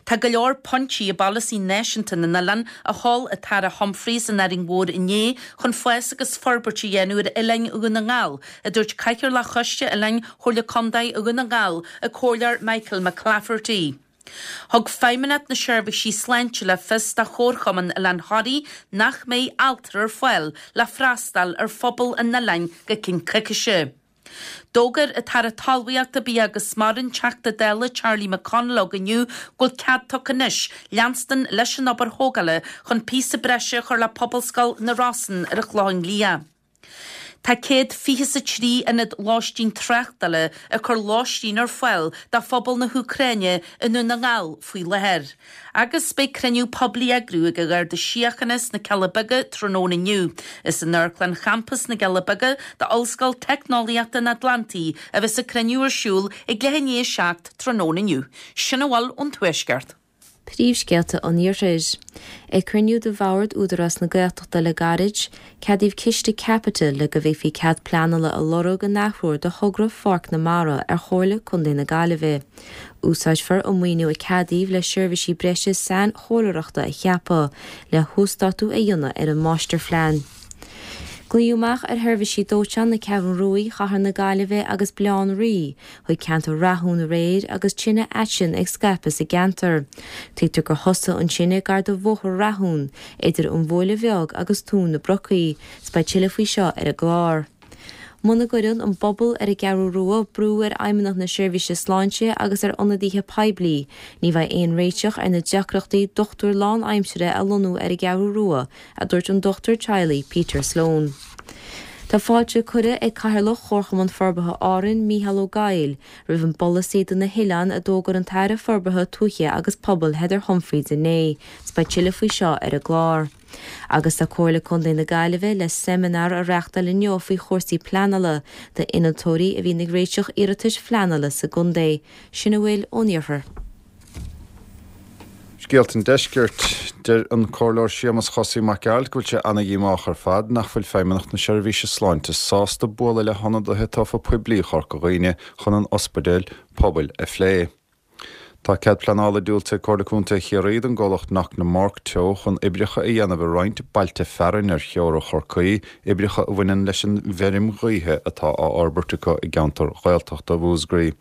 Tá go leor pointí i bpolasaí náisiúnta na n-oileán a mhol an tAire Humphreys in Árainn Mhór inné chun fás agus forbairt a dhéanamh ar oileáin Dhún na nGall, a dúirt Cathaoirleach Choiste Oileáin Chomhairle Contae Dhún na nGall, an Comhairleoir Michael McClafferty. Thug Feidhmeannacht na Seirbhísí Sláinte le fios do Chomharchumann Oileán Thoraí nach mbeidh altra ar fáil le freastal ar phobal an oileáin go ceann coicíse. D'fhógair an tAire Talmhaíochta, Bia agus Mara, an Teachta Dála Charlie McConalogue inniu go bhfuil cead tugtha anois leanstan leis an obair thógála chun píosa breise a chur le Pobalscoil na Rosann ar an Chlochán Liath. Tá céad fiche is a trí ionad lóistín tráchtála ag cur lóistín ar fáil do phobal na hÚcráine i nDún na nGall faoi láthair. Agus beidh cruinniú poiblí á eagrú ag an Gharda Síochána sna Cealla Beaga tráthnóna inniu. Is in Amharclann Champas na gCealla Beaga d'Ollscoil Teicneolaíochta an Atlantaigh a bheas an cruinniú ar siúl ag leath i ndiaidh a seacht tráthnóna inniu. Sin a bhfuil ón Tuaisceart.
Príomhscéalta an Iarthair. Ag cruinniú de Bhord Údarás na Gaeltachta le gairid, ceadaíodh ciste caipitil le go bhféadfaí cead pleanála a lorg an athuair do thogra Pháirc na Mara ar Chomhairle Contae na Gaillimhe. Úsáidfear an maoiniú a ceadaíodh le seirbhísí breise sainchomhairleoireachta a cheapadh le huasdátú a dhéanamh ar an máistirphlean. Glaodh amach ar sheirbhísí dóiteáin na Ceathrún Rua, Chathair na Gaillimhe agus Bhaile Átha an Rí chuig ceantar Rathún aréir agus tine aitinn ag scaipeadh sa gceantar. Tuigtear gur thosaigh an tine gar do Bhóthar Rathún, idir an Bhuaile Bheag agus Tóin na Brocaí, 's beidh tuilleadh faoi seo ar an gclár. Muna gcuireann an bpobal ar an gCeathrú Rua brú ar Fheidhmeannacht na Seirbhíse Sláinte agus ar ionadaithe poiblí, ní bheidh aon réiteach ar na deacrachtaí dochtúir lánaimsire a lonnú ar an gCeathrú Rua, a dúirt an dochtúir teaghlaigh Peter Sloane. Tá fáilte curtha ag Cathaoirleach Chomharchumann Forbartha Árann, Mícheál Ó Gabhaill, roimh an bpolasaí do na hoileáin a d'fhógair an tAire Forbartha Tuaithe agus Pobail Heather Humphreys inné. 'S beidh tuilleadh faoi seo ar an gclár. Agus tá Comhairle Contae na Gaillimhe le seimineár a reáchtáil inniu faoi chúrsaí pleanála d'innealtóirí a bhíonn ag réiteach iarratais phleanála sa gcontae. Sin a bhfuil ón iarthar.
Scéalta an Deiscirt, Deir an Comhairleoir Séamus Chosaí Mac Gearailt go bhfuil sé ana-dhíomách ar fad nach bhfuil Feidhmeannacht na Seirbhíse Sláinte sásta bualadh le hionadaithe tofa poiblí Chorca Dhuibhne chun an ospidéal pobail a phlé. Tá cead pleanála diúltaithe ag Comhairle Contae Chiarraí don gcomhlacht Knocknamork Teo chun oibreacha a dhéanamh i roinnt bailte fearainn ar theora Chorcaí, oibreacha a bhaineann leis an bhfeirm ghaoithe atá á fhorbairt acu i gceantar Ghaeltachta Mhúscraí.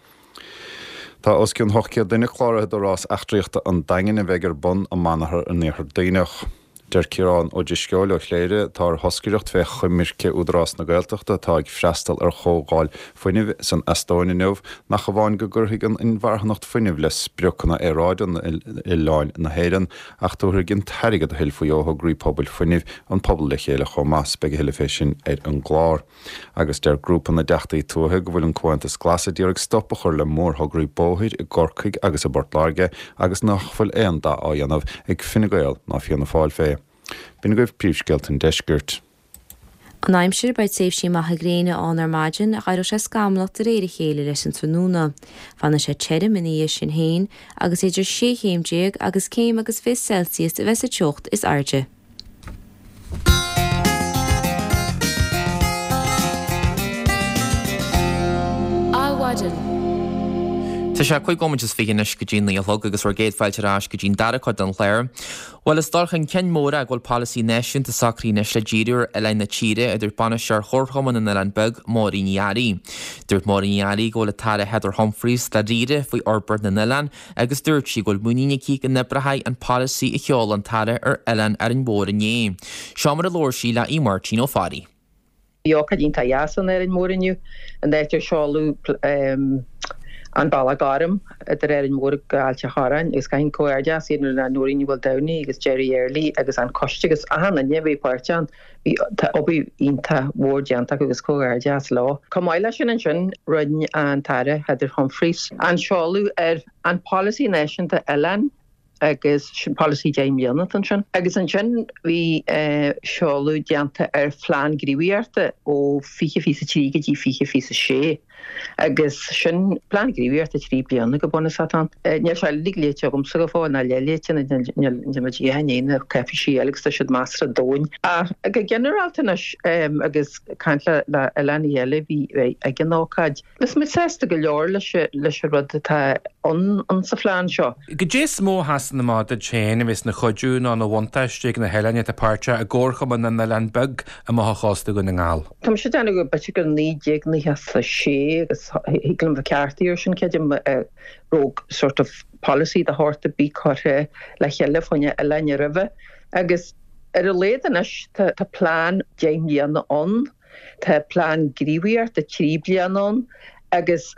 Tá os cionn ocht gcéad duine cláraithe do rás eachtraíochta an Daingin a bheidh ar bun i Manathar an Iarthair Duibhneach. Deir Ciarán Ó Drisceoil ó Chléire, atá ar thoscaireacht fé choimirce Údarás na Gaeltachta atá ag freastal ar chomhdháil fuinnimh san Eastóin inniu, nach amháin go gcuirfidh an inmharthanacht fuinnimh le spriocanna aeráide oileáin na hÉireann ach tabharfaidh an t-airgead a thuillfí ó thograí pobail fuinnimh an pobal le chéile chomh maith. Beidh a thuilleadh fé sin ar an gclár. Agus deir grúpa na dTeachtaí Tuaithe go bhfuil an Comhaontas Glas a d'iarraidh stop a chur le mórthograí bóthair i gCorcaigh agus i bPort Láirge agus nach bhfuil aon dath á dhéanamh ag Fine Gael ná Fianna Fáil fé. B'in agaibh príomhscéalta an deiscirt.
An aimsir, Beidh tréimhsí maithe gréine ann ar maidin ach éireoidh sé scamallach de réir a chéile leis an tráthnóna. Fanfaidh sé tirim ina dhiaidh sin féin agus idir sé chéim déag agus céim agus fiche Celsius a bheidh sa teocht is airde.
Adhmhaidin. Tá sé cúig nóiméad is fiche anois go dtí naoi a chlog agus bhur gcéad fáilte ar ais go dtí'n dara cuid den chlár. Bhuel, is dul chun cinn mór é go bhfuil polasaí náisiúnta socraithe anois le díriú ar oileáin na tíre, a dúirt bainisteoir Chomharchumann na nOileán Beag, Máirín Ní Fhearraigh. Dúirt Máirín Ní Fhearraigh go bhfuil an tAire Heather Humphreys dáiríre faoi fhorbairt na n-oileán agus dúirt sí go bhfuil muinín aici go n-oibreoidh an polasaí a sheol an tAire ar Oileáin Árainn Mhór inné. Seo mar a labhair sí le Aodh Máirtín Ó Fearraigh.
Bhí ócáid iontach dheas in Árainn Mhór inniu, an áit ar seoladh an Bealach Gorm idir Árainn Mhór go Ailt a' Chorráin agus caithfidh comhghairdeas a dhéanamh le Nóirín Ní Mhaoldomhnaigh agus Jerry Early agus an coiste agus achan duine a bhí páirteach ann. Bhí tá obair iontach mhór déanta acu agus comhghairdeas leo. Chomh maith leis sin ansin rinne an tAire Heather Humphreys an seoladh ar an Polasaí Náisiúnta Oileán agus sin polasaí deich mbliana atá ansin. Agus ansin bhí seoladh déanta ar phlean gníomhaíochta ó fiche fiche a trí go dtí fiche fiche a sé agus sin plean gníomhaíochta trí bliana go bunúsach atá ann. Níl sé uilig léite agamsa go fóill ná leathléite níl muid ag ithe na cáipéisí eile agus tá siad measartha domhain. Ach go ginearálta anois agus caint le oileánaigh eile a bhí ag an ócáid, Is muid sásta go leor leis an rud atá ann sa phlean seo.
Goidé is mó a sheasann amach duit féin a bheas ina chuidiú nó ina bhuntáiste ag na hoileáin atá páirteach i gComharchumann na nOileán Beag amach ó chósta Dhún na nGall?
Tá mise ag déanamh go b'fhéidir gur naoi déag nócha a sé agus thig liom bheith ceartaithe ar sin creidim raibh sort of polasaí de shórt ar bith curtha le chéile fá choinne oileáin roimhe agus ar a laghad anois tá plean deich mbliana ann. Tá plean gníomhaíochta trí bliana ann agus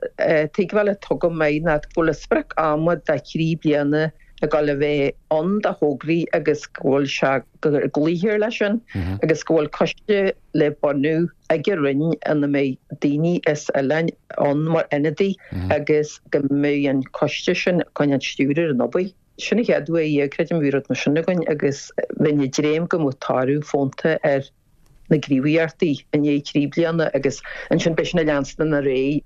tuigbheáil atá agam é ná go bhfuil sprioc ama de thrí bliana ag dul a bheith ann do thograí agus go bhfuil sé go gcloífear leis sin agus go bhfuil coiste le bunú ag an Roinn ina mbeidh daoine as oileáin ann mar ionadaí agus go mbeidh an coiste sin chun an stiúradh ar an obair. Sin an chéad uair a creidim a bhí rud mar sin againn agus bheinn ag dréim go mbeadh toradh fónta ar na gníomhaíochtaí i ndiaidh trí bliana agus ansin beidh sin ag leanstan ar aghaidh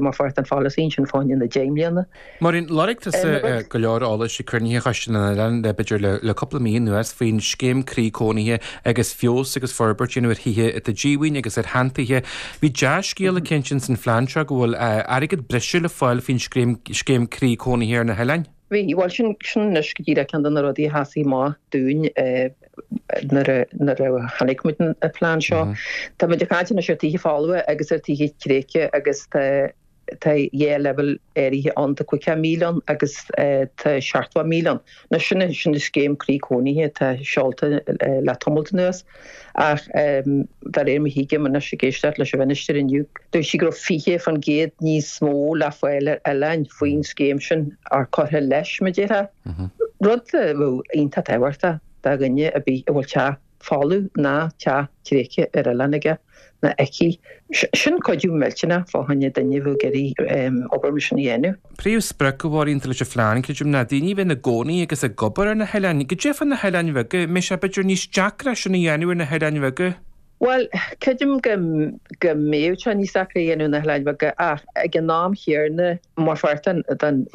mar pháirt den pholasaí ansin fá choinne na deich mbliana.
Máirín, lorg tusa go leor eolais ag cruinnithe Choiste na nOileán le b'fhéidir le cúpla mí anuas faoin scéim Croí Cónaithe agus feabhas agus forbairt a dhéanamh ar thithe atá díomhaoin agus ar sheantithe. Bhí dea-scéala cinnte ins an phlean seo go bhfuil airgead breise le fáil faoin scéim Croí Cónaithe ar na hoileáin.
Bhí, bhuel sin sin anois go díreach ceann de na rudaí a sheasaigh amach dúinn nuair a nuair a chonaic muid an plean seo. Tá muid ag caint anois ar tithe folmha agus ar tithe tréigthe agus tá tá dhá leibhéal áirithe ann, tá caoga míle ann agus tá seachtó míle ann. Anois sin sin an scéim croí cónaithe atá seolta le tamalt anuas. Ach de réir mar a thuigim anois ag éisteacht leis an Mhinistir inniu, dúirt sí go raibh fiche faoin gcéad níos mó le fáil ar oileáin faoin scéim sin, or curtha leis, mar a déarfá. Rud a bheadh iontach tábhachtach do dhuine ar bith a bhfuil teach folamh ná teach tréigthe ar oileán aige ná aici. Sin cuidiú millteanach fá choinne duine a bheadh ag iarraidh obair mar sin a dhéanamh.
Príomhsprioc a Mháirín atá leis an phlean, creidim, ná daoine a bheith ina gcónaí agus ag obair ar na hoileáin. Goidé fá na hoileáin bheaga, an mbeidh sé b'fhéidir níos deacra sin a dhéanamh ar na hoileáin bheaga?
Bhuel, creidim go go mbeadh sé níos deacra a dhéanamh na hoileáin bheaga ach ag an am chéanna mar pháirt den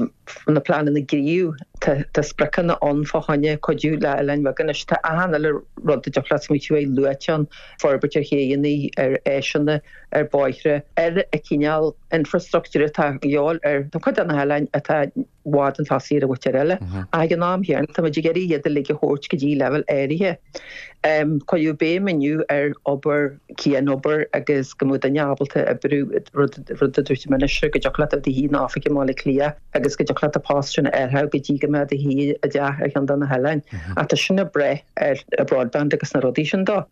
na pleananna gníomh tá tá spriocanna ann fá choinne cuidiú le oileáin bheaga anois tá achan uile rud a dtiocfadh leat smaoitiú air luaite ann, forbairt ar chéanna, ar áiseanna, ar bhóithre, ar an cineál infrastruchtúir atá de dhíobháil ar chuid de na hoileáin atá i bhfad chun tosaigh ar an mhuintir eile. Ach ag an am chéanna, tá muid ag iarraidh iad uilig a thabhairt go dtí leibhéal áirithe. Cuireadh béim inniu ar obair, cianobair agus go mbeadh duine ábalta oibriú, rud rud a dúirt an Minister, go dtiocfadh leat a bheith i do shuí in oifig i mBaile Átha Cliath agus go dtiocfadh leat an post sin a fháil go dtí go mbeadh i do shuí i dteach ar cheann de na hoileáin. Ach tá sin ag brath ar broadband agus na rudaí sin dó.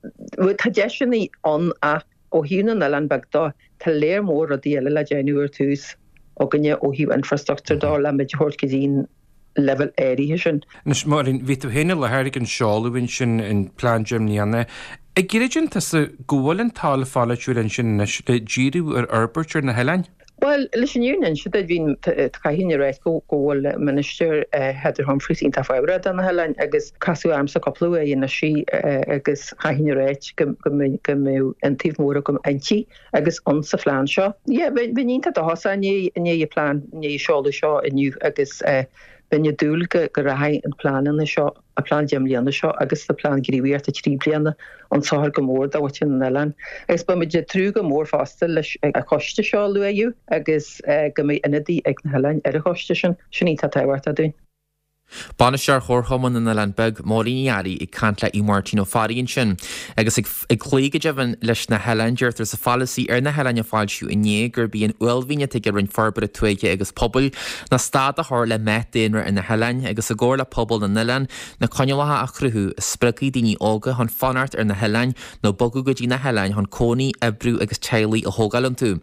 Tá deiseanna ann ach ó thaobh na n-oileán beag dó, tá léar mór rudaí eile le déanamh ar tús againne ó thaobh infrastruchtúr dó le muid a thabhairt go dtí an leibhéal áirithe sin.
Anois, Máirín, bhí tú féin i láthair ag an seoladh ansin, an plean deich mbliana. An gcreideann tusa go bhfuil an toil pholaitiúil ansin anois le díriú ar fhorbairt ar na hoileáin?
Bhuel, leis an fhírinne a inse duit, bhí, caithfidh mé a ráit go bhfuil Minister Heather Humphreys iontach fábharach do na hoileáin agus casadh ormsa cúpla uair anois í agus caithfidh mé a ráit go mbeadh iontaoibh mhór agam inti agus ann sa phlean seo. Yeah, bheinn iontach dóchasach i ndiaidh an plean, i ndiaidh an seoladh seo inniu agus bheinn ag dúil go rachaidh an pleananna seo, an plean deich mbliana seo agus an plean gníomhaíochta trí bliana chun sochair go mór do mhuintir na n-oileán. Agus beidh muid ag tnúth go mór fosta leis an choiste seo a luaíodh agus go mbeidh ionadaí ag na hoileáin ar an choiste sin. Sin iontach tábhachtach dúinn.
Bainisteoir Chomharchumann na nOileán Beag, Máirín Ní Fhearraigh ag caint le Aodh Máirtín Ó Fearraigh ansin. Agus ag cloí go deimhin leis na hoileáin, deirtear sa pholasaí ar na hoileáin a foilsíodh inné gurb í an uaillmhian atá ag an Roinn Forbartha Tuaithe agus Pobail ná stad a chur le meath daonra ar na hoileáin agus i gcomhar le pobal na n-oileán na coinníollacha a chruthú a spreagfaidh daoine óga chun fanacht ar na hoileáin nó bogadh go dtí na hoileáin chun cónaí, oibriú agus teaghlaigh a thógáil iontu.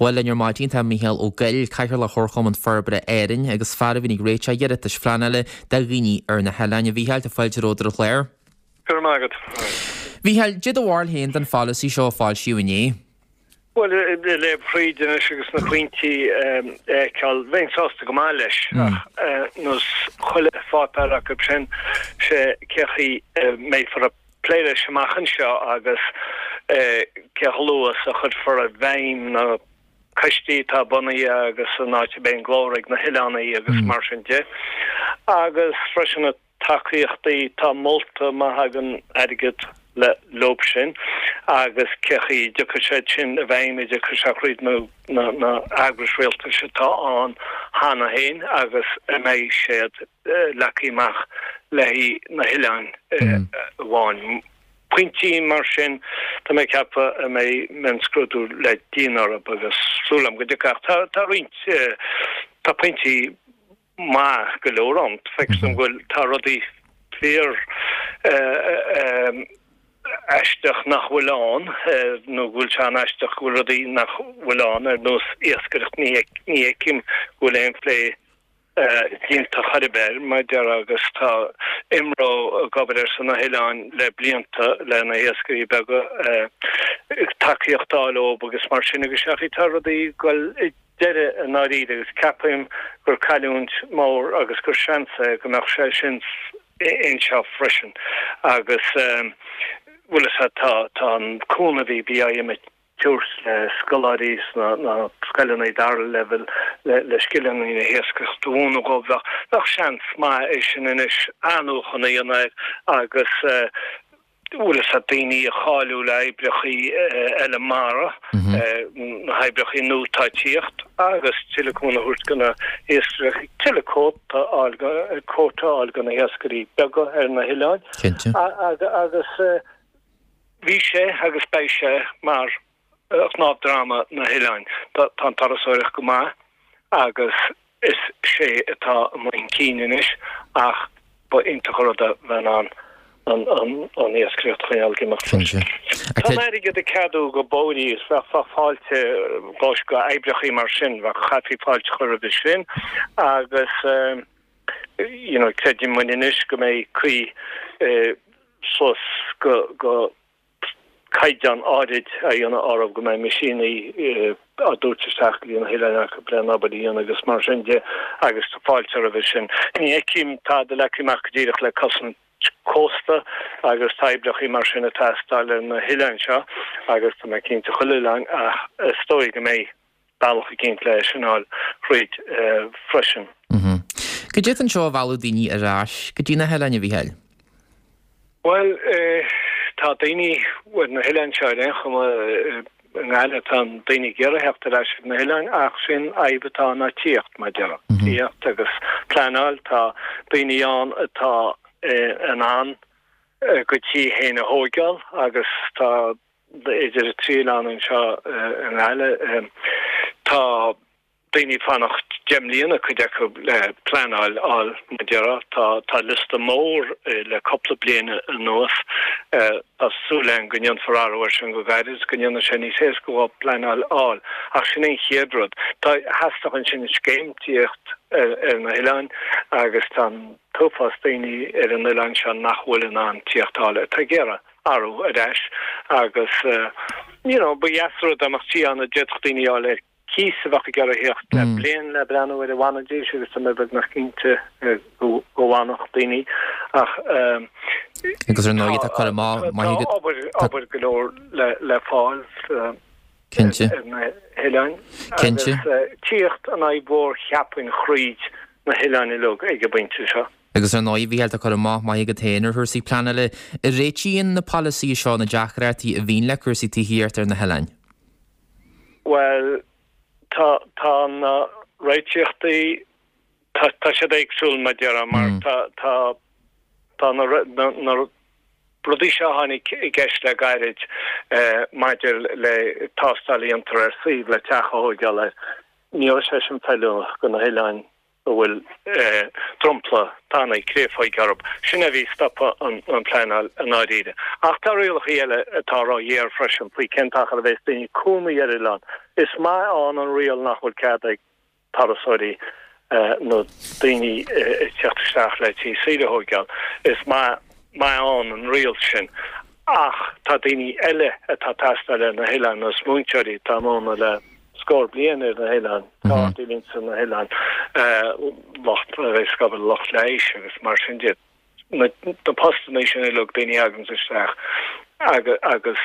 Bhuel, linn ar maidin tá Mícheál Ó Goill, Cathaoirleach Chomharchumann Forbartha Árann agus fear a bhíonn ag réiteach iarratais phleanála do dhaoine ar na hoileáin. A Mhícheáil, tá fáilte romhat ar an chlár.
Go raibh maith agat.
Mhícheáil, cad é do bharúil féin den pholasaí seo a foilsíodh inné.
Bhuel, ag léamh thríd anois agus na pointí a fheiceáil, bheinn sásta go maith leis, ach ar nós chuile pháipéar acu sin, sé cé chaoi a mbeifear ag plé leis amach anseo agus cé chomh luath is a chuirfear i bhfeidhm na coistí atá bunaithe agus an áit a mbeidh an glór ag na hoileánaigh agus mar sin de. Agus freisin na tacaíochtaí atá molta má thagann airgead le leob sin agus cé chaoi a dtiocfaidh siad sin i bhfeidhm, an dtiocfaidh sé thríd na na eagrais rialtais atá ann cheana féin agus an mbeidh siad leagtha amach le haghaidh na hoileáin amháin. Pointí mar sin, tá mé ag ceapadh a mbeidh mionscrúdú le déanamh orthu agus súil agam go dtiocfaidh ach tá roinnt, tá pointí maith go leor ann. Feictear dom go bhfuil, tá rudaí fíor aisteach nach bhfuil ann nó go bhfuil sé an-aisteach go bhfuil rudaí nach bhfuil ann ar nós iascaireacht, ní fheicim go bhfuil aon phlé déanta chor ar bith air, mar a déarfá, agus tá IMRO ag obair ar son na hoileáin le blianta le na hiascairí beaga, tacaíocht a fháil ób agus mar sin agus sea, tá rudaí ag dul ag deireadh i ndáiríre agus ceapaim gur cailliúint mór agus gur seans é go mbeadh sé sin anseo freisin agus bhfuil a fhios agat tá tá an cúnamh a bhí BIM ag tabhairt le scoláirí sna scoileanna dara leibhéal le scileanna na hiascaireachta a mhúineadh dóibh. Bheadh bheadh seans maith é sin anois athnuachan a dhéanamh air agus bhfuil a fhios agat daoine a cháiliú le oibreachaí eile mara, na hoibreachaí nua atá ag tíocht agus tuilleadh cúnamh a thabhairt do na hiascairí, tuilleadh cuóta a fháil cuóta a fháil do na hiascairí beaga ar na hoileáin agus Bhí sé agus beidh sé mar chnámh droma na hoileáin. Tá an turasóireacht go maith agus is sé atá amuigh chun cinn anois ach ba iontach an rud é bheith in ann an iascaireacht a choinneáil ag imeacht freisin. Tá an airgead ag ceadú go bóithrí is bheadh fáilte go oibreachaí mar sin, bheadh chaithfí fáilte a chur roimhe sin agus you know creideann muid anois go mbeidh caoi suas go go caighdeán áirid a dhéanamh orthu go mbeidh meaisíní á dtabhairt isteach go dtí na hoileáin acu le an obair a dhéanamh agus mar sin de agus tá fáilte roimhe sin. Ní fheicim tada leagtha amach go díreach le cosaint cósta agus tá oibreacha mar sin ag teastáil ar na hoileáin seo agus tá mé cinnte chuile oileán ach is dóigh go mbeidh bealach eicínt le sin a fháil thríd freisin.
Goidé atá anseo a mhealladh daoine ar ais go dtí na hoileáin, a Mhícheáil?
Bhuel, tá daoine ar na hoileáin seo ar aon chuma, i nGaillimh, tá daoine ag iarraidh theacht ar ais ar na hoileáin ach sin fhadhb atá ná tíocht, mar a déarfá. Tíocht agus pleanáil, tá daoine ann atá in ann a gcuid tí féin a thóigeáil agus tá idir an trí oileán anseo i nGaillimh, tá daoine ag fanacht deich mbliana, cuid acu, le pleanáil a fháil, mar a déarfá. Tá, tá liosta mór le cúpla bliain anuas. Tá súil againn go ndéanfar athrú air sin go gairid, go ndéanfaidh sé níos éasca dhóibh pleanáil a fháil. Ach sin é an chéad rud. Tá, theastódh ansin scéim tíocht ar, ar na hoileáin agus tá an t-uafás daoine ar an oileán seo nach bhfuil in ann tíocht a fháil, atá ag iarraidh athrú ar ais agus you know, ba dheas an rud dá mbeadh tí ann a d'fhéadfadh daoine a fháil ar cíos a bheadh ag iarraidh theacht le bliain le breathnú ar an bhfanfaidís agus tá mé beagnach cinnte go bhfanfadh daoine ach
Agus ar ndóigh tá cur amach maith agat.
Tá obair, obair go leor le le fáil
Cinnte.
ar na hoileáin
Cinnte.
agus tíocht an fhadhb mhór cheapfainn thríd na hoileáin uilig ag an bpointe seo.
Agus ar ndóigh, a Mhícheáil, tá cur amach maith agat féin ar chúrsaí pleanála. An réitíonn na polasaithe seo na deacrachtaí a bhíonn le cúrsaí tithíochta ar na hoileáin?
Bhuel, tá, tá na réiteachtaí, tá, tá siad éagsúil mar a déarfá mar tá, tá, tá na, na, na rudaí seo a tháinig i gceist le gairid maidir le tástáil a dhéantar ar suíomh le teach a thóigeáil air, ní raibh sé sin feiliúnach do na hoileáin. a bhfuil dromchla tanaí créafóige orthu. Sin é a bhí ag stopadh an pleanáil i ndáiríre. Ach tá rialacha eile atá ró-ghéar freisin faoi cén t-achar a bheas daoine ag cónaí ar oileán. Is maith ann an riail nach bhfuil cead ag turasóirí nó daoine ag teacht isteach le tí saoire a thóigeáil. Is maith maith ann an riail sin. Ach tá daoine eile atá ag teastáil ar na hoileáin, nós múinteoirí atá ag múineadh le scór bliain ar na hoileáin, gardaí a bhíonns ar na hoileáin, lucht a bheas ag obair, lucht leighis agus mar sin de. Na postanna sin uilig, daoine a thaganns isteach agus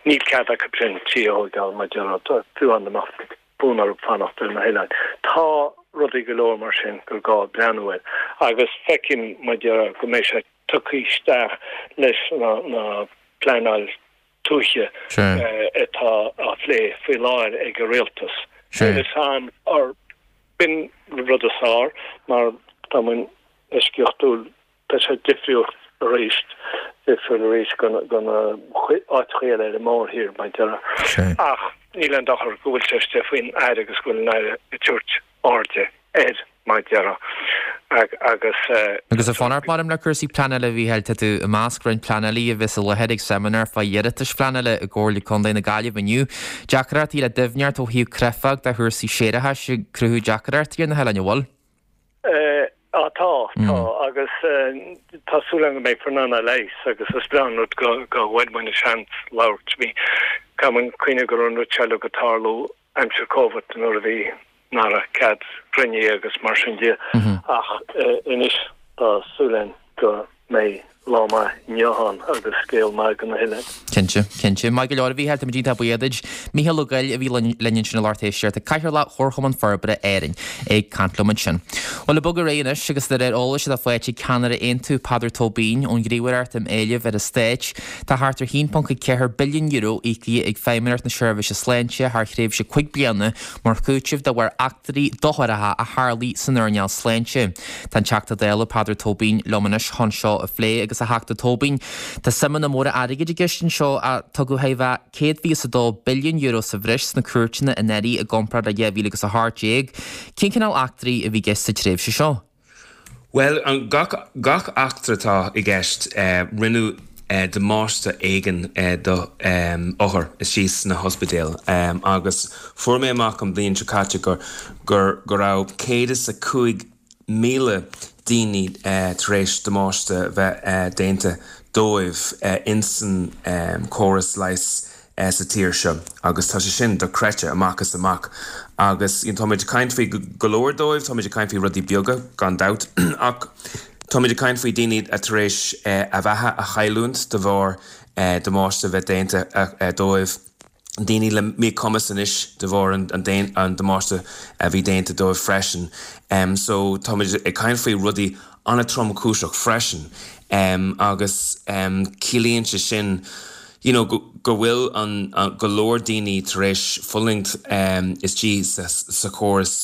níl cead acu sin tí a thóigeáil mar a déarfá, fiú amháin dá mbeadh fonn orthu fanacht ar na hoileáin. Tá rudaí go leor mar sin gur gá breathnú air agus feicim mar a déarfá go mbeidh sé tugtha isteach leis na pleanáil tuaithe atá á phlé faoi láthair ag an rialtas. Níl fhios a'm ar b'in rud is fearr mar tá muid eisceachtúil, tá sé difriúil arís, difriúil arís go na áiteacha eile ar an mórthír mar a déarfá. Ach níl aon dochar go bhfuil sé istigh faoin Aire agus go bhfuil an Aire ag tabhairt airde air mar a déarfá agus.
Agus ag fanacht maram le cúrsaí pleanála a Mhícheáil, tá tú i measc roinnt pleanálaí a bheas i láthair ag seimineár fá iarratais phleanála i gComhairle Contae na Gaillimhe inniu. Deacrachtaí le doimhneacht ó thaobh creidmheach de chúrsaí séarachais ag cruthú deacrachtaí ar na hoileáin, an bhfuil?
Á tá, tá agus tá súil agam go mbeifear in ann é a leigheas agus is breá an rud go go bhfuair muid an seans labhairt. Bhí, caithfidh muid cuimhneamh go raibh an rud seo uilig ag tarlú aimsir Covid nuair a bhí nach raibh cead cruinnithe agus mar sin de ach anois tá súil againn go mbeidh lá maith inniu ann agus scéal maith do na hoileáin.
Cinnte, cinnte. Maith go leor a Mhícheáil, táimid iontach buíoch duit. Mícheál Ó Goill a bhí linn ansin a lucht éisteachta, Cathaoirleach Chomharchumann Forbartha Árainn ag caint liom ansin. Bhuel, ag bogadh ar aghaidh anois agus de réir eolais atá faighte ag ceannaire Aontú, Peadar Tóibín, ón Ghníomhaireacht um Éilimh ar an Stát, tá thart ar haon ponc ceathair billiún euro íoctha ag Feidhmeannacht na Seirbhíse Sláinte thar thréimhse cúig bliana mar chúiteamh de bharr eachtraí docharacha a tharlaigh san earnáil sláinte. Tá an Teachta Dála Peadar Tóibín liom anois chun seo a phlé agus a Theachta Tóibín, tá suimeanna móra airgid i gceist anseo a tugadh chóir a bheith céad fiche is a dó billiún euro sa bhreis sna cúirteanna anuraidh i gcomparáid le dhá mhíle agus a hocht déag. Cén cineál eachtraí a bhí i gceist sa tréimhse seo?
Bhuel, gach gach eachtra atá i gceist, rinneadh damáiste éigin do othair istigh sna hospidéil agus fuair mé amach an bhliain seo caite gur gur go raibh céad is a cúig míle daoine tar éis damáiste bheith déanta dóibh insan córas leighis sa tír seo agus tá sé sin dochreidte amach is amach agus táimid ag caint faoi go leor dóibh, táimid ag caint faoi rudaí beaga gan dabht ach táimid ag caint faoi daoine a tar éis a bheatha a chailliúint de bharr damáiste bheith déanta dóibh. Daoine le míchumas anois de bharr an damáiste a bhí déanta dóibh freisin. So táimid ag caint faoi rudaí an-tromchúiseach freisin agus ciallaíonn sé sin you know go bhfuil an go leor daoine tar éis fulaingt istigh sa chóras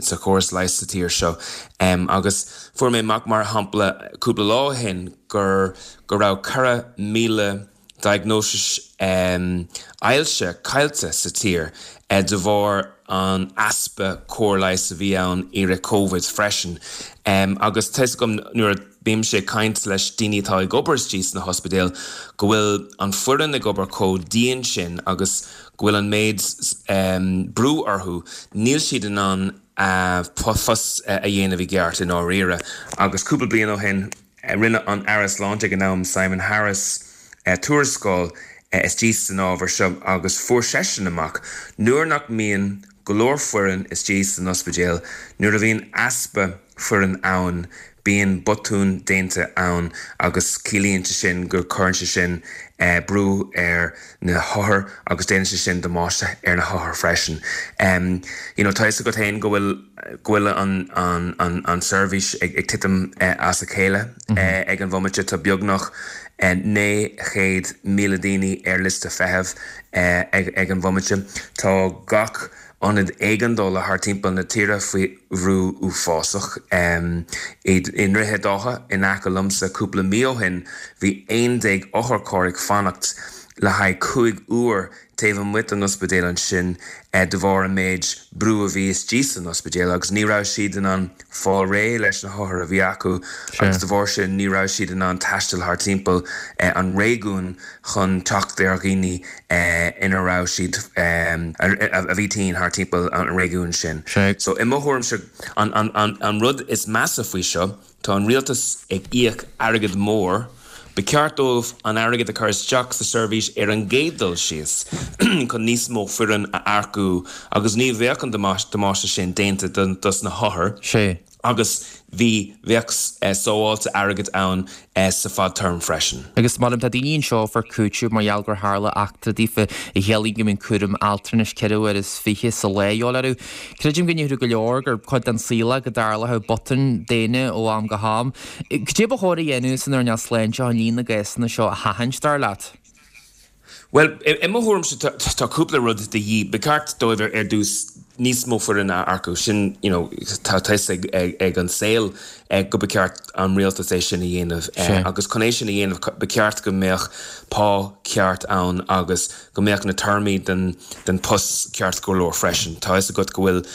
sa chóras leighis sa tír seo. Agus fuair mé amach mar shampla cúpla lá ó shin gur go raibh ceithre míle diagnosis ailse caillte sa tír de bharr an easpa cóir leighis a bhí ann i rith Covid freisin. Agus tá 'fhios agam nuair a bímse ag caint leis daoine atá ag obair istigh sna hospidéil go bhfuil an foireann ag obair chomh dian sin agus go bhfuil an méid brú orthu, níl siad in ann a bpost a dhéanamh i gceart i ndáiríre. Agus cúpla bliain ó shin rinne an Aire Sláinte ag an am, Simon Harris, tuarascáil istigh san ábhar seo agus fuair seisean amach nuair nach mbíonn go leor foireann istigh san ospidéal, nuair a bhíonn easpa foireann ann, bíonn botúin déanta ann agus ciallaíonn sé sin go cuireann sé sin brú ar na hothair agus déanann sé sin damáiste ar na hothair freisin. You know, tá 'fhios agat féin go bhfuil go bhfuil an an an an seirbhís ag ag titim as a chéile ag an bhomaite, tá beagnach naoi chéad míle daoine ar liosta feithimh ag an bhomaite. Tá gach ionad éigeandála thar timpeall na tíre faoi bhrú uafásach. I nDroichead Átha in aice liomsa cúpla mí ó shin bhí aon déag otharcharr ag fanacht le haghaidh cúig uair taobh amuigh den ospidéal ansin de bharr an méid brú a bhí istigh san ospidéal agus ní raibh siad in ann fáil réidh leis na hothair a bhí acu agus de bharr sin ní raibh siad in ann taisteal thar timpeall an réigiúin chun teacht ar dhaoine ina raibh siad a bhí tinn thar timpeall an réigiúin sin. So i mo thuairimse an rud is measa faoi seo, tá an rialtas ag íoc airgead mór, Ba cheart dóibh an airgead a chur isteach sa seirbhís ar an gcéad dul síos chun níos mó foireann a earcú agus ní bheadh an damáiste sin déanta dos na hothair agus bhí bheadh sábháilte airgid ann sa fadtéarma freisin.
Agus molaim, tá daoine anseo a fuair cúiteamh mar gheall gur tharla eachtra daofa a chiallaíonn go mbíonn cúram altranais ceithre huaire is fiche sa lá a dhíobháil orthu. Creidim go ndéarfadh go leor gur cuid den saol é go dtarlódh botúin daonna ó am go ham. Cad é ba chóir a dhéanamh san earnáil sláinte chun líon na gcásanna seo a sheachaint, dar leat?
Bhuel, i mo thuairimse tá cúpla rud de dhíth. Ba cheart dóibh ar dtús níos mó foireann a earcú. Sin, you know, tá a fhios ag an saol go ba cheart an rialtas é sin a dhéanamh. Agus chun é sin a dhéanamh ba cheart go mbeadh pá ceart ann agus go mbeadh na téarmaí den den post ceart go leor freisin. Tá a fhios agat go bhfuil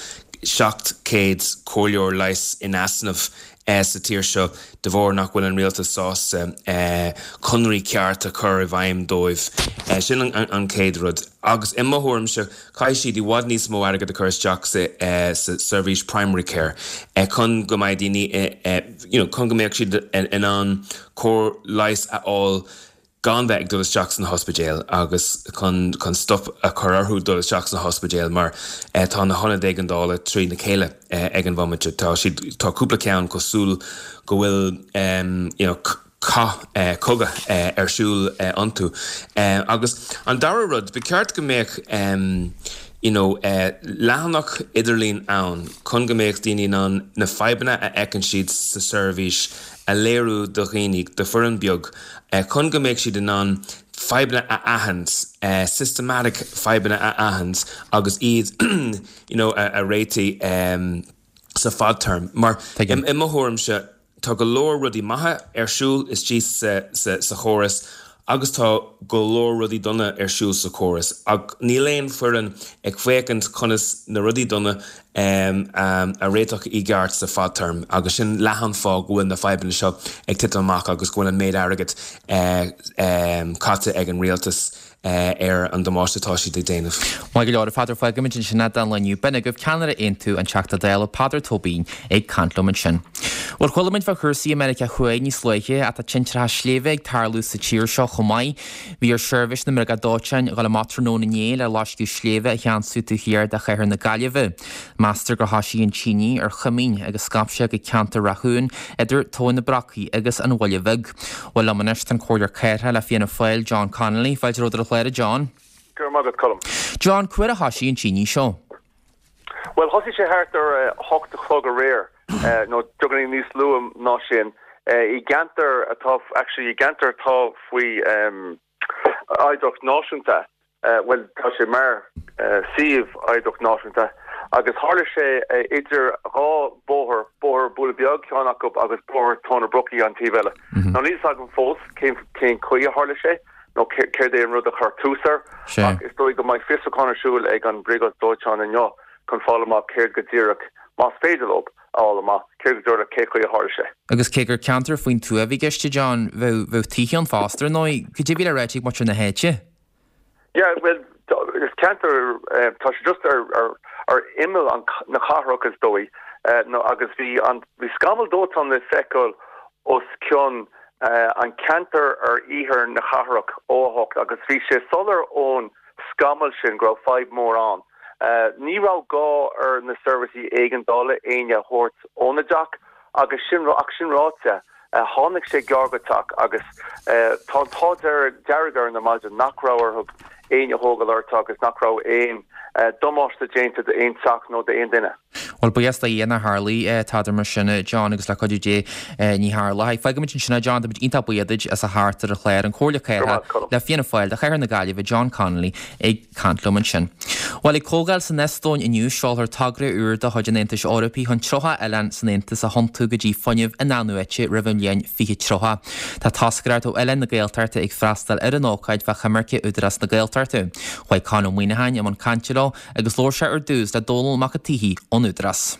seacht gcéad comhairleoir leighis in easnamh sa tír seo de bharr nach bhfuil an rialtas sásta conraí ceart a chur i bhfeidhm dóibh. Sin an chéad rud. Agus i mo thuairimse, caithfidh siad i bhfad níos mó airgead a chur isteach sa seirbhís primary care chun go mbeidh daoine, you know, chun go mbeadh siad in ann cóir leighis a fháil gan bheith ag dul isteach sna hospidéil agus chun chun stop a chur orthu dul isteach sna hospidéil mar tá na hionaid éigeandála trí na chéile ag an bhomaite. Tá siad tá cúpla ceann cosúil go bhfuil you know cath cogadh ar siúl iontu. Agus an dara rud, ba cheart go mbeadh you know leathanach idirlín ann chun go mbeadh daoine in ann na fadhbanna a fheiceann siad sa seirbhís a léiriú do dhaoine, do foireann beag, chun go mbeadh siad in ann fadhbanna a aithint, systematic fadhbanna a aithint agus iad you know a réitigh sa fadtéarma. Mar i mo thuairimse, tá go leor rudaí maithe ar siúl istigh sa chóras agus tá go leor rudaí dona ar siúl sa chóras ach níl aon foireann ag féachaint conas na rudaí dona a réiteach i gceart sa fadtéarma agus sin leath an fáth go bhfuil na fadhbanna seo ag titim amach agus go bhfuil an méid airgid caite ag an rialtas ar an damáiste atá siad ag déanamh.
Maith go leor, a Pheadair, fágfaimid ansin é don lá inniu. B'in agaibh ceannaire Aontú an Teachta Dála, Peadar Tóibín, ag caint liom ansin. Bhuel, chuala muid fá chúrsaí i Meiriceá Thuaidh níos luaithe ach tá tintreacha sléibhe ag tarlú sa tír seo chomh maith. Bhí ar sheirbhís na mbriogáid dóiteáin dhul amach tráthnóna inné le loisceadh sléibhe a cheansú taobh thiar de chathair na Gaillimhe. Meastar gur thoisigh an tine ar choimín agus scaip sé go ceantar Ráth Chuain idir Tóin na Brocaí agus an Bhaile Bhig. Bhuel, liom anois tá an Comhairleoir Cathrach le Fianna Fáil, John Connolly. Fáilte romhat ar an chlár, a John.
Go raibh maith agat, Colm.
John, cá huair a thoisigh an tine seo?
Bhuel, thosaigh sé thart ar a hocht a chlog aréir, nó beagáinín níos luaithe ná sin, i gceantar atá, actually, i gceantar atá faoi oidhreacht náisiúnta, bhuel, tá sé mar suíomh oidhreacht náisiúnta, agus tharla sé idir dhá bhóthar, Bóthar Buaile Beag, ceann acu, agus Bóthar Tóin na Brocaí an taobh eile. Now, níl fhios agam fós cén cén chaoi a tharla sé, nó céard é an rud a chuir tús air, ach is dóigh go mbeidh fiosrúchán ar siúl ag an Bhriogáid Dóiteáin inniu chun fáil amach céard go díreach, más féidir leo a fháil amach, céard go díreach, cé chaoi a tharla sé.
Agus cé gur ceantar faoin tuath a bhí i gceist, a John, bheadh, bheadh tithe ann fosta, ar ndóigh. Cad é a bhí le ráite ag muintir na háite?
Yeah, bhuel, is ceantar, tá sé just ar, ar, ar imeall an, na cathrach is dóigh, nó agus bhí an, bhí scamall dóiteáin le feiceáil os cionn an ceantar ar iarthar na cathrach ó a hocht agus bhí sé soiléir ón scamall sin go raibh fadhb mór ann. Ní raibh gá ar na seirbhísí éigeandála éinne a thabhairt óna dteach agus sin ach sin ráite, tháinig sé gearr go teach agus tá an t-ádh dearg orainn ar maidin nach raibh orthu éinne a thógáil orthu agus nach raibh aon damáiste déanta d'aon teach nó d'aon duine.
Bhuel, buíochas do Dhia nár tharlaigh tada mar sin, a John, agus le cuidiú Dé ní tharlóidh. Fágfaimid ansin é, John, táimid iontach buíoch duit as a theacht ar an chlár, an Comhairleoir Cathrach le Fianna Fáil do Chathair na Gaillimhe, John Connolly, ag caint liom ansin. Bhuel, ag comhdháil san Eastóin inniu, seolfar togra úr de chuid an Aontais Eorpaigh chun tríocha oileán san Aontas a thiontú go dtí fuinneamh in-athnuaite roimh an bhliain fiche tríocha. Tá toscaireacht ó oileáin na Gaeltachta ag freastal ar an ócáid fá choimirce Údarás na Gaeltachta. Chuaigh Conn Ó Muíneacháin i mbun cainte leo agus labhair sé ar dtús le Dónall Mac an tSíthigh ón Údarás.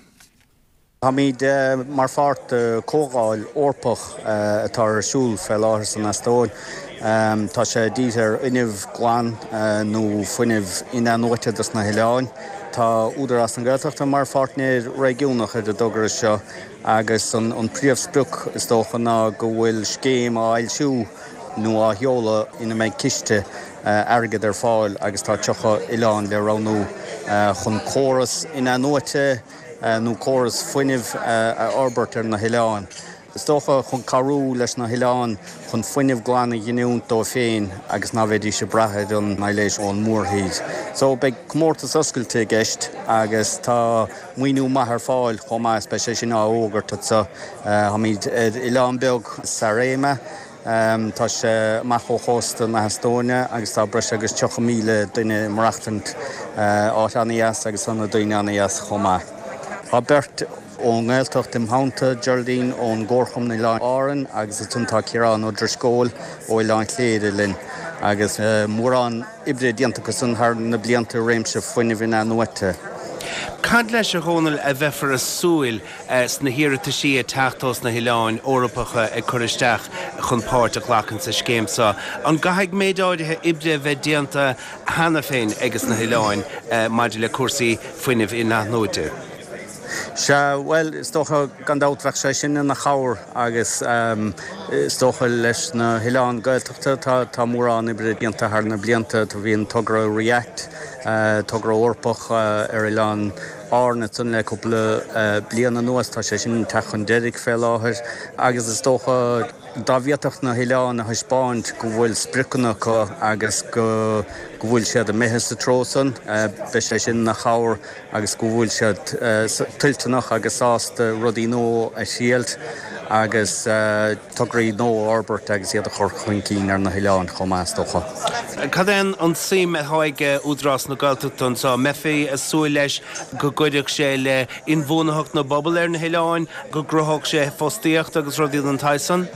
Táimid mar pháirt de chomhdháil Eorpach atá ar siúl fé láthair san Eastóin. Tá sé dírithe ar fhuinneamh glan nó fuinneamh in-athnuaite dos na hoileáin. Tá Údarás na Gaeltachta mar pháirtnéir réigiúnach ar an dtogra seo agus an príomhsprioc is dócha ná go bhfuil scéim á fhoilsiú nó á sheoladh ina mbeidh ciste airgid ar fáil agus tá tríocha oileán le roghnú chun córas in-athnuaite nó córas fuinnimh a fhorbairt ar na hoileáin. Is dócha chun cabhrú leis na hoileáin chun fuinneamh glan a ghiniúint dóibh féin agus ná bheidís ag brath ar an aibhléis ón mórthír. So beidh comórtas oscailte i gceist agus tá maoiniú maith ar fáil chomh maith is beidh sé sin á fhógairt anseo. Táimid ar oileán beag, Saaremaa. Tá sé amach ó chósta na hEastóine agus tá breis agus tríocha míle duine ag maireachtaint. Áit an-dheas agus tá na daoine an-dheas chomh maith. Tá beirt ón nGaeltacht im theannta, Geraldine ón gComharchumann Oileáin Árann agus ansan tá Ciarán Ó Drisceoil ó Oileán Chléire linn agus mórán oibre déanta acusan thar na blianta i réimse fuinnimh in-athnuaite.
Cad leis, a Dhónaill, a bheifear ag súil sna hiarrataisí ag teacht ós na hoileáin Eorpacha ag cur isteach chun páirt a ghlacadh sa scéim seo? An gcaithfidh méid áirithe oibre a bheith déanta cheana féin ages na hoileáin maidir le cúrsaí fuinnimh in-athnuaite?
Sea, bhuel, is dócha, gan dabht, bheadh sé sin ina chabhair agus is dócha leis na hoileáin Gaeltachta, tá, tá mórán oibre déanta thar na blianta, tá, bhí an togra REACT, togra Eorpach ar oileáin Árann ansan le cúpla bliain anuas, tá sé sin ag teacht chun deiridh fé láthair agus is dócha dá bhféadfadh na hoileáin a thaispeáint go bhfuil spriocanna acu agus go go bhfuil siad imithe sa treo san, beidh sé sin ina chabhair agus go bhfuil siad toilteanach agus sásta rudaí nua a thriailt agus tograí nua a fhorbairt agus iad a chur chun cinn ar na hoileáin chomh maith, is dócha.
Cad é an tsuim atá ag Údarás na Gaeltachta anseo? An mbeifí ag súil leis go gcuirfeadh sé le inbhuanaitheacht na bpobal ar na hoileáin, go gcruthódh sé fostaíocht agus rudaí den tsaghas san?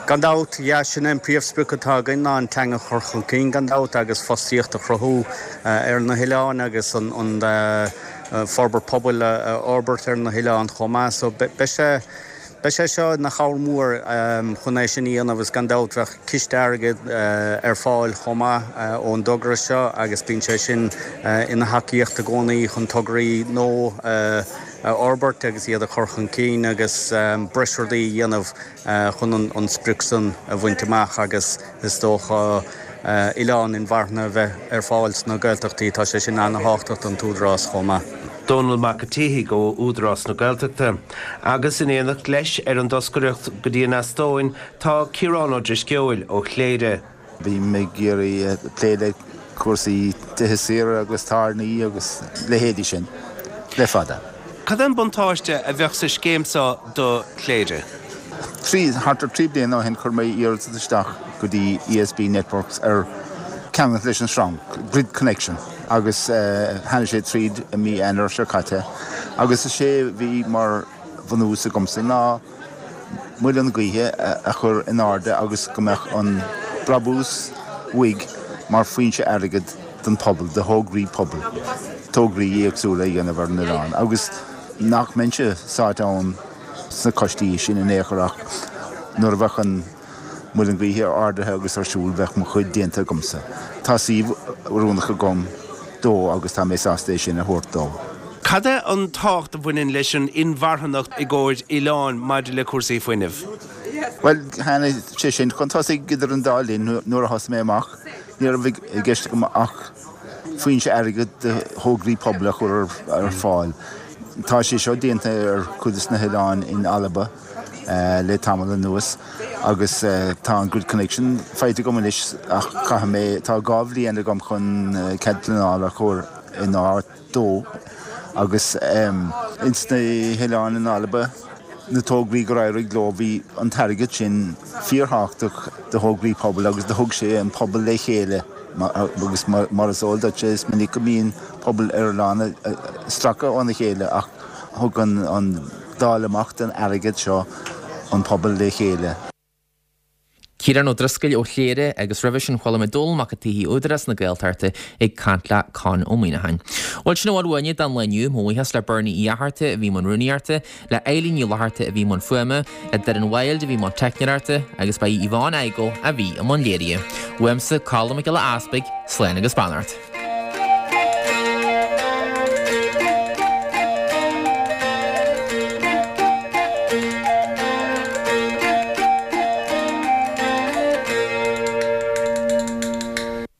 Gan dabht, yeah, sin é an príomhsprioc atá againn ná an teanga a chur chun cinn gan dabht agus fostaíocht a chruthú ar na hoileáin agus an forbairt pobail a fhorbairt ar na hoileáin chomh maith. So beidh sé beidh sé seo ina chabhair mhór chun é sin a dhéanamh agus gan dabht bheadh ciste airgid ar fáil chomh maith ón dtogra seo agus bíonn sé sin ina thacaíocht i gcónaí chun tograí nua a a fhorbairt agus iad a chur chun cinn agus breis rudaí a dhéanamh chun an sprioc san a bhaint amach agus is dócha oileáin inmharthana a bheith ar fáil sna Gaeltachtaí, tá sé sin ana-thábhachtach don tÚdarás chomh maith.
Dónall Mac an tSíthigh ó Údarás na Gaeltachta. Agus in éineacht leis ar an dtoscaireacht go dtí an Eastóin tá Ciarán Ó Drisceoil ó Chléire.
Bím ag iarraidh plé le cúrsaí tithe saora agus tábhairní agus leithéidí sin le fada.
Cad é an buntáiste a bheadh sa scéim seo do Chléire?
Trí, thart ar trí bliana ó shin chuir mé iarratas isteach go dtí ESB Networks ar ceangal leis an sreang, grid connection, agus tháinig sé tríd i mí Eanáir seo caite agus is é a bhí mar bhunús agamsa ná muileann gaoithe a chur in airde agus go mbeadh an brabús uaidh mar foinse airgid don phobal, do thograí pobail, tograí éagsúla a dhéanamh ar an oileán agus nach mbeinnse sáite ann sna coistí sin in aon chor ach nuair a bheadh an muileann gaoithe ardaithe agus ar siúl bheadh mo chuid déanta agamsa. Tá suíomh oiriúnach agam dó agus tá mé sásta é sin a thabhairt dó.
Cad é an tábhacht a bhaineann leis an inmharthanacht i gcomhair oileáin maidir le cúrsaí fuinnimh?
Bhuel, tháinig sé sin chun tosaigh idir an dá linn nuair a thosaigh mé amach. Ní raibh i gceist agam ach foinse airgid do thograí pobail a chur ar fáil. Tá sé seo déanta ar chuid de na hoileáin in Alba le tamall anuas agus tá an Grid Connection faighte agam anois ach caithfidh mé, tá dhá bhliain agam chun cead pleanála a chur in áit dó agus ins na hoileáin in Alba, na tograí gur éirigh leo, bhí an t-airgead sin fíorthábhachtach do thograí pobail agus do thug sé an pobal le chéile agus mar is eol duit, is minic go mbíonn pobail ar oileán ag stracadh óna chéile ach thug an dáileadh amach den airgead seo an pobal le chéile.
Ciarán Ó Drisceoil ó Chléire agus roimhe sin chuala muid Dónall Mac an tSíthigh Údarás na Gaeltachta ag caint le Con Ó Muíneacháin. Bhuel sin a bhfuil uainne don lá inniu, mo bhuíochas le Bernie Uí Fhatharta a bhí i mbun rúnaíochta, le Eileen Ní Fhlatharta a bhí i mbun fuaime, le Doireann Wilde a bhí i mbun teicneoireachta agus ba í Yvonne Igoe a bhí i mbun léirithe. Uaimse, Colm Mac Giolla Easpaig, slán agus beannacht.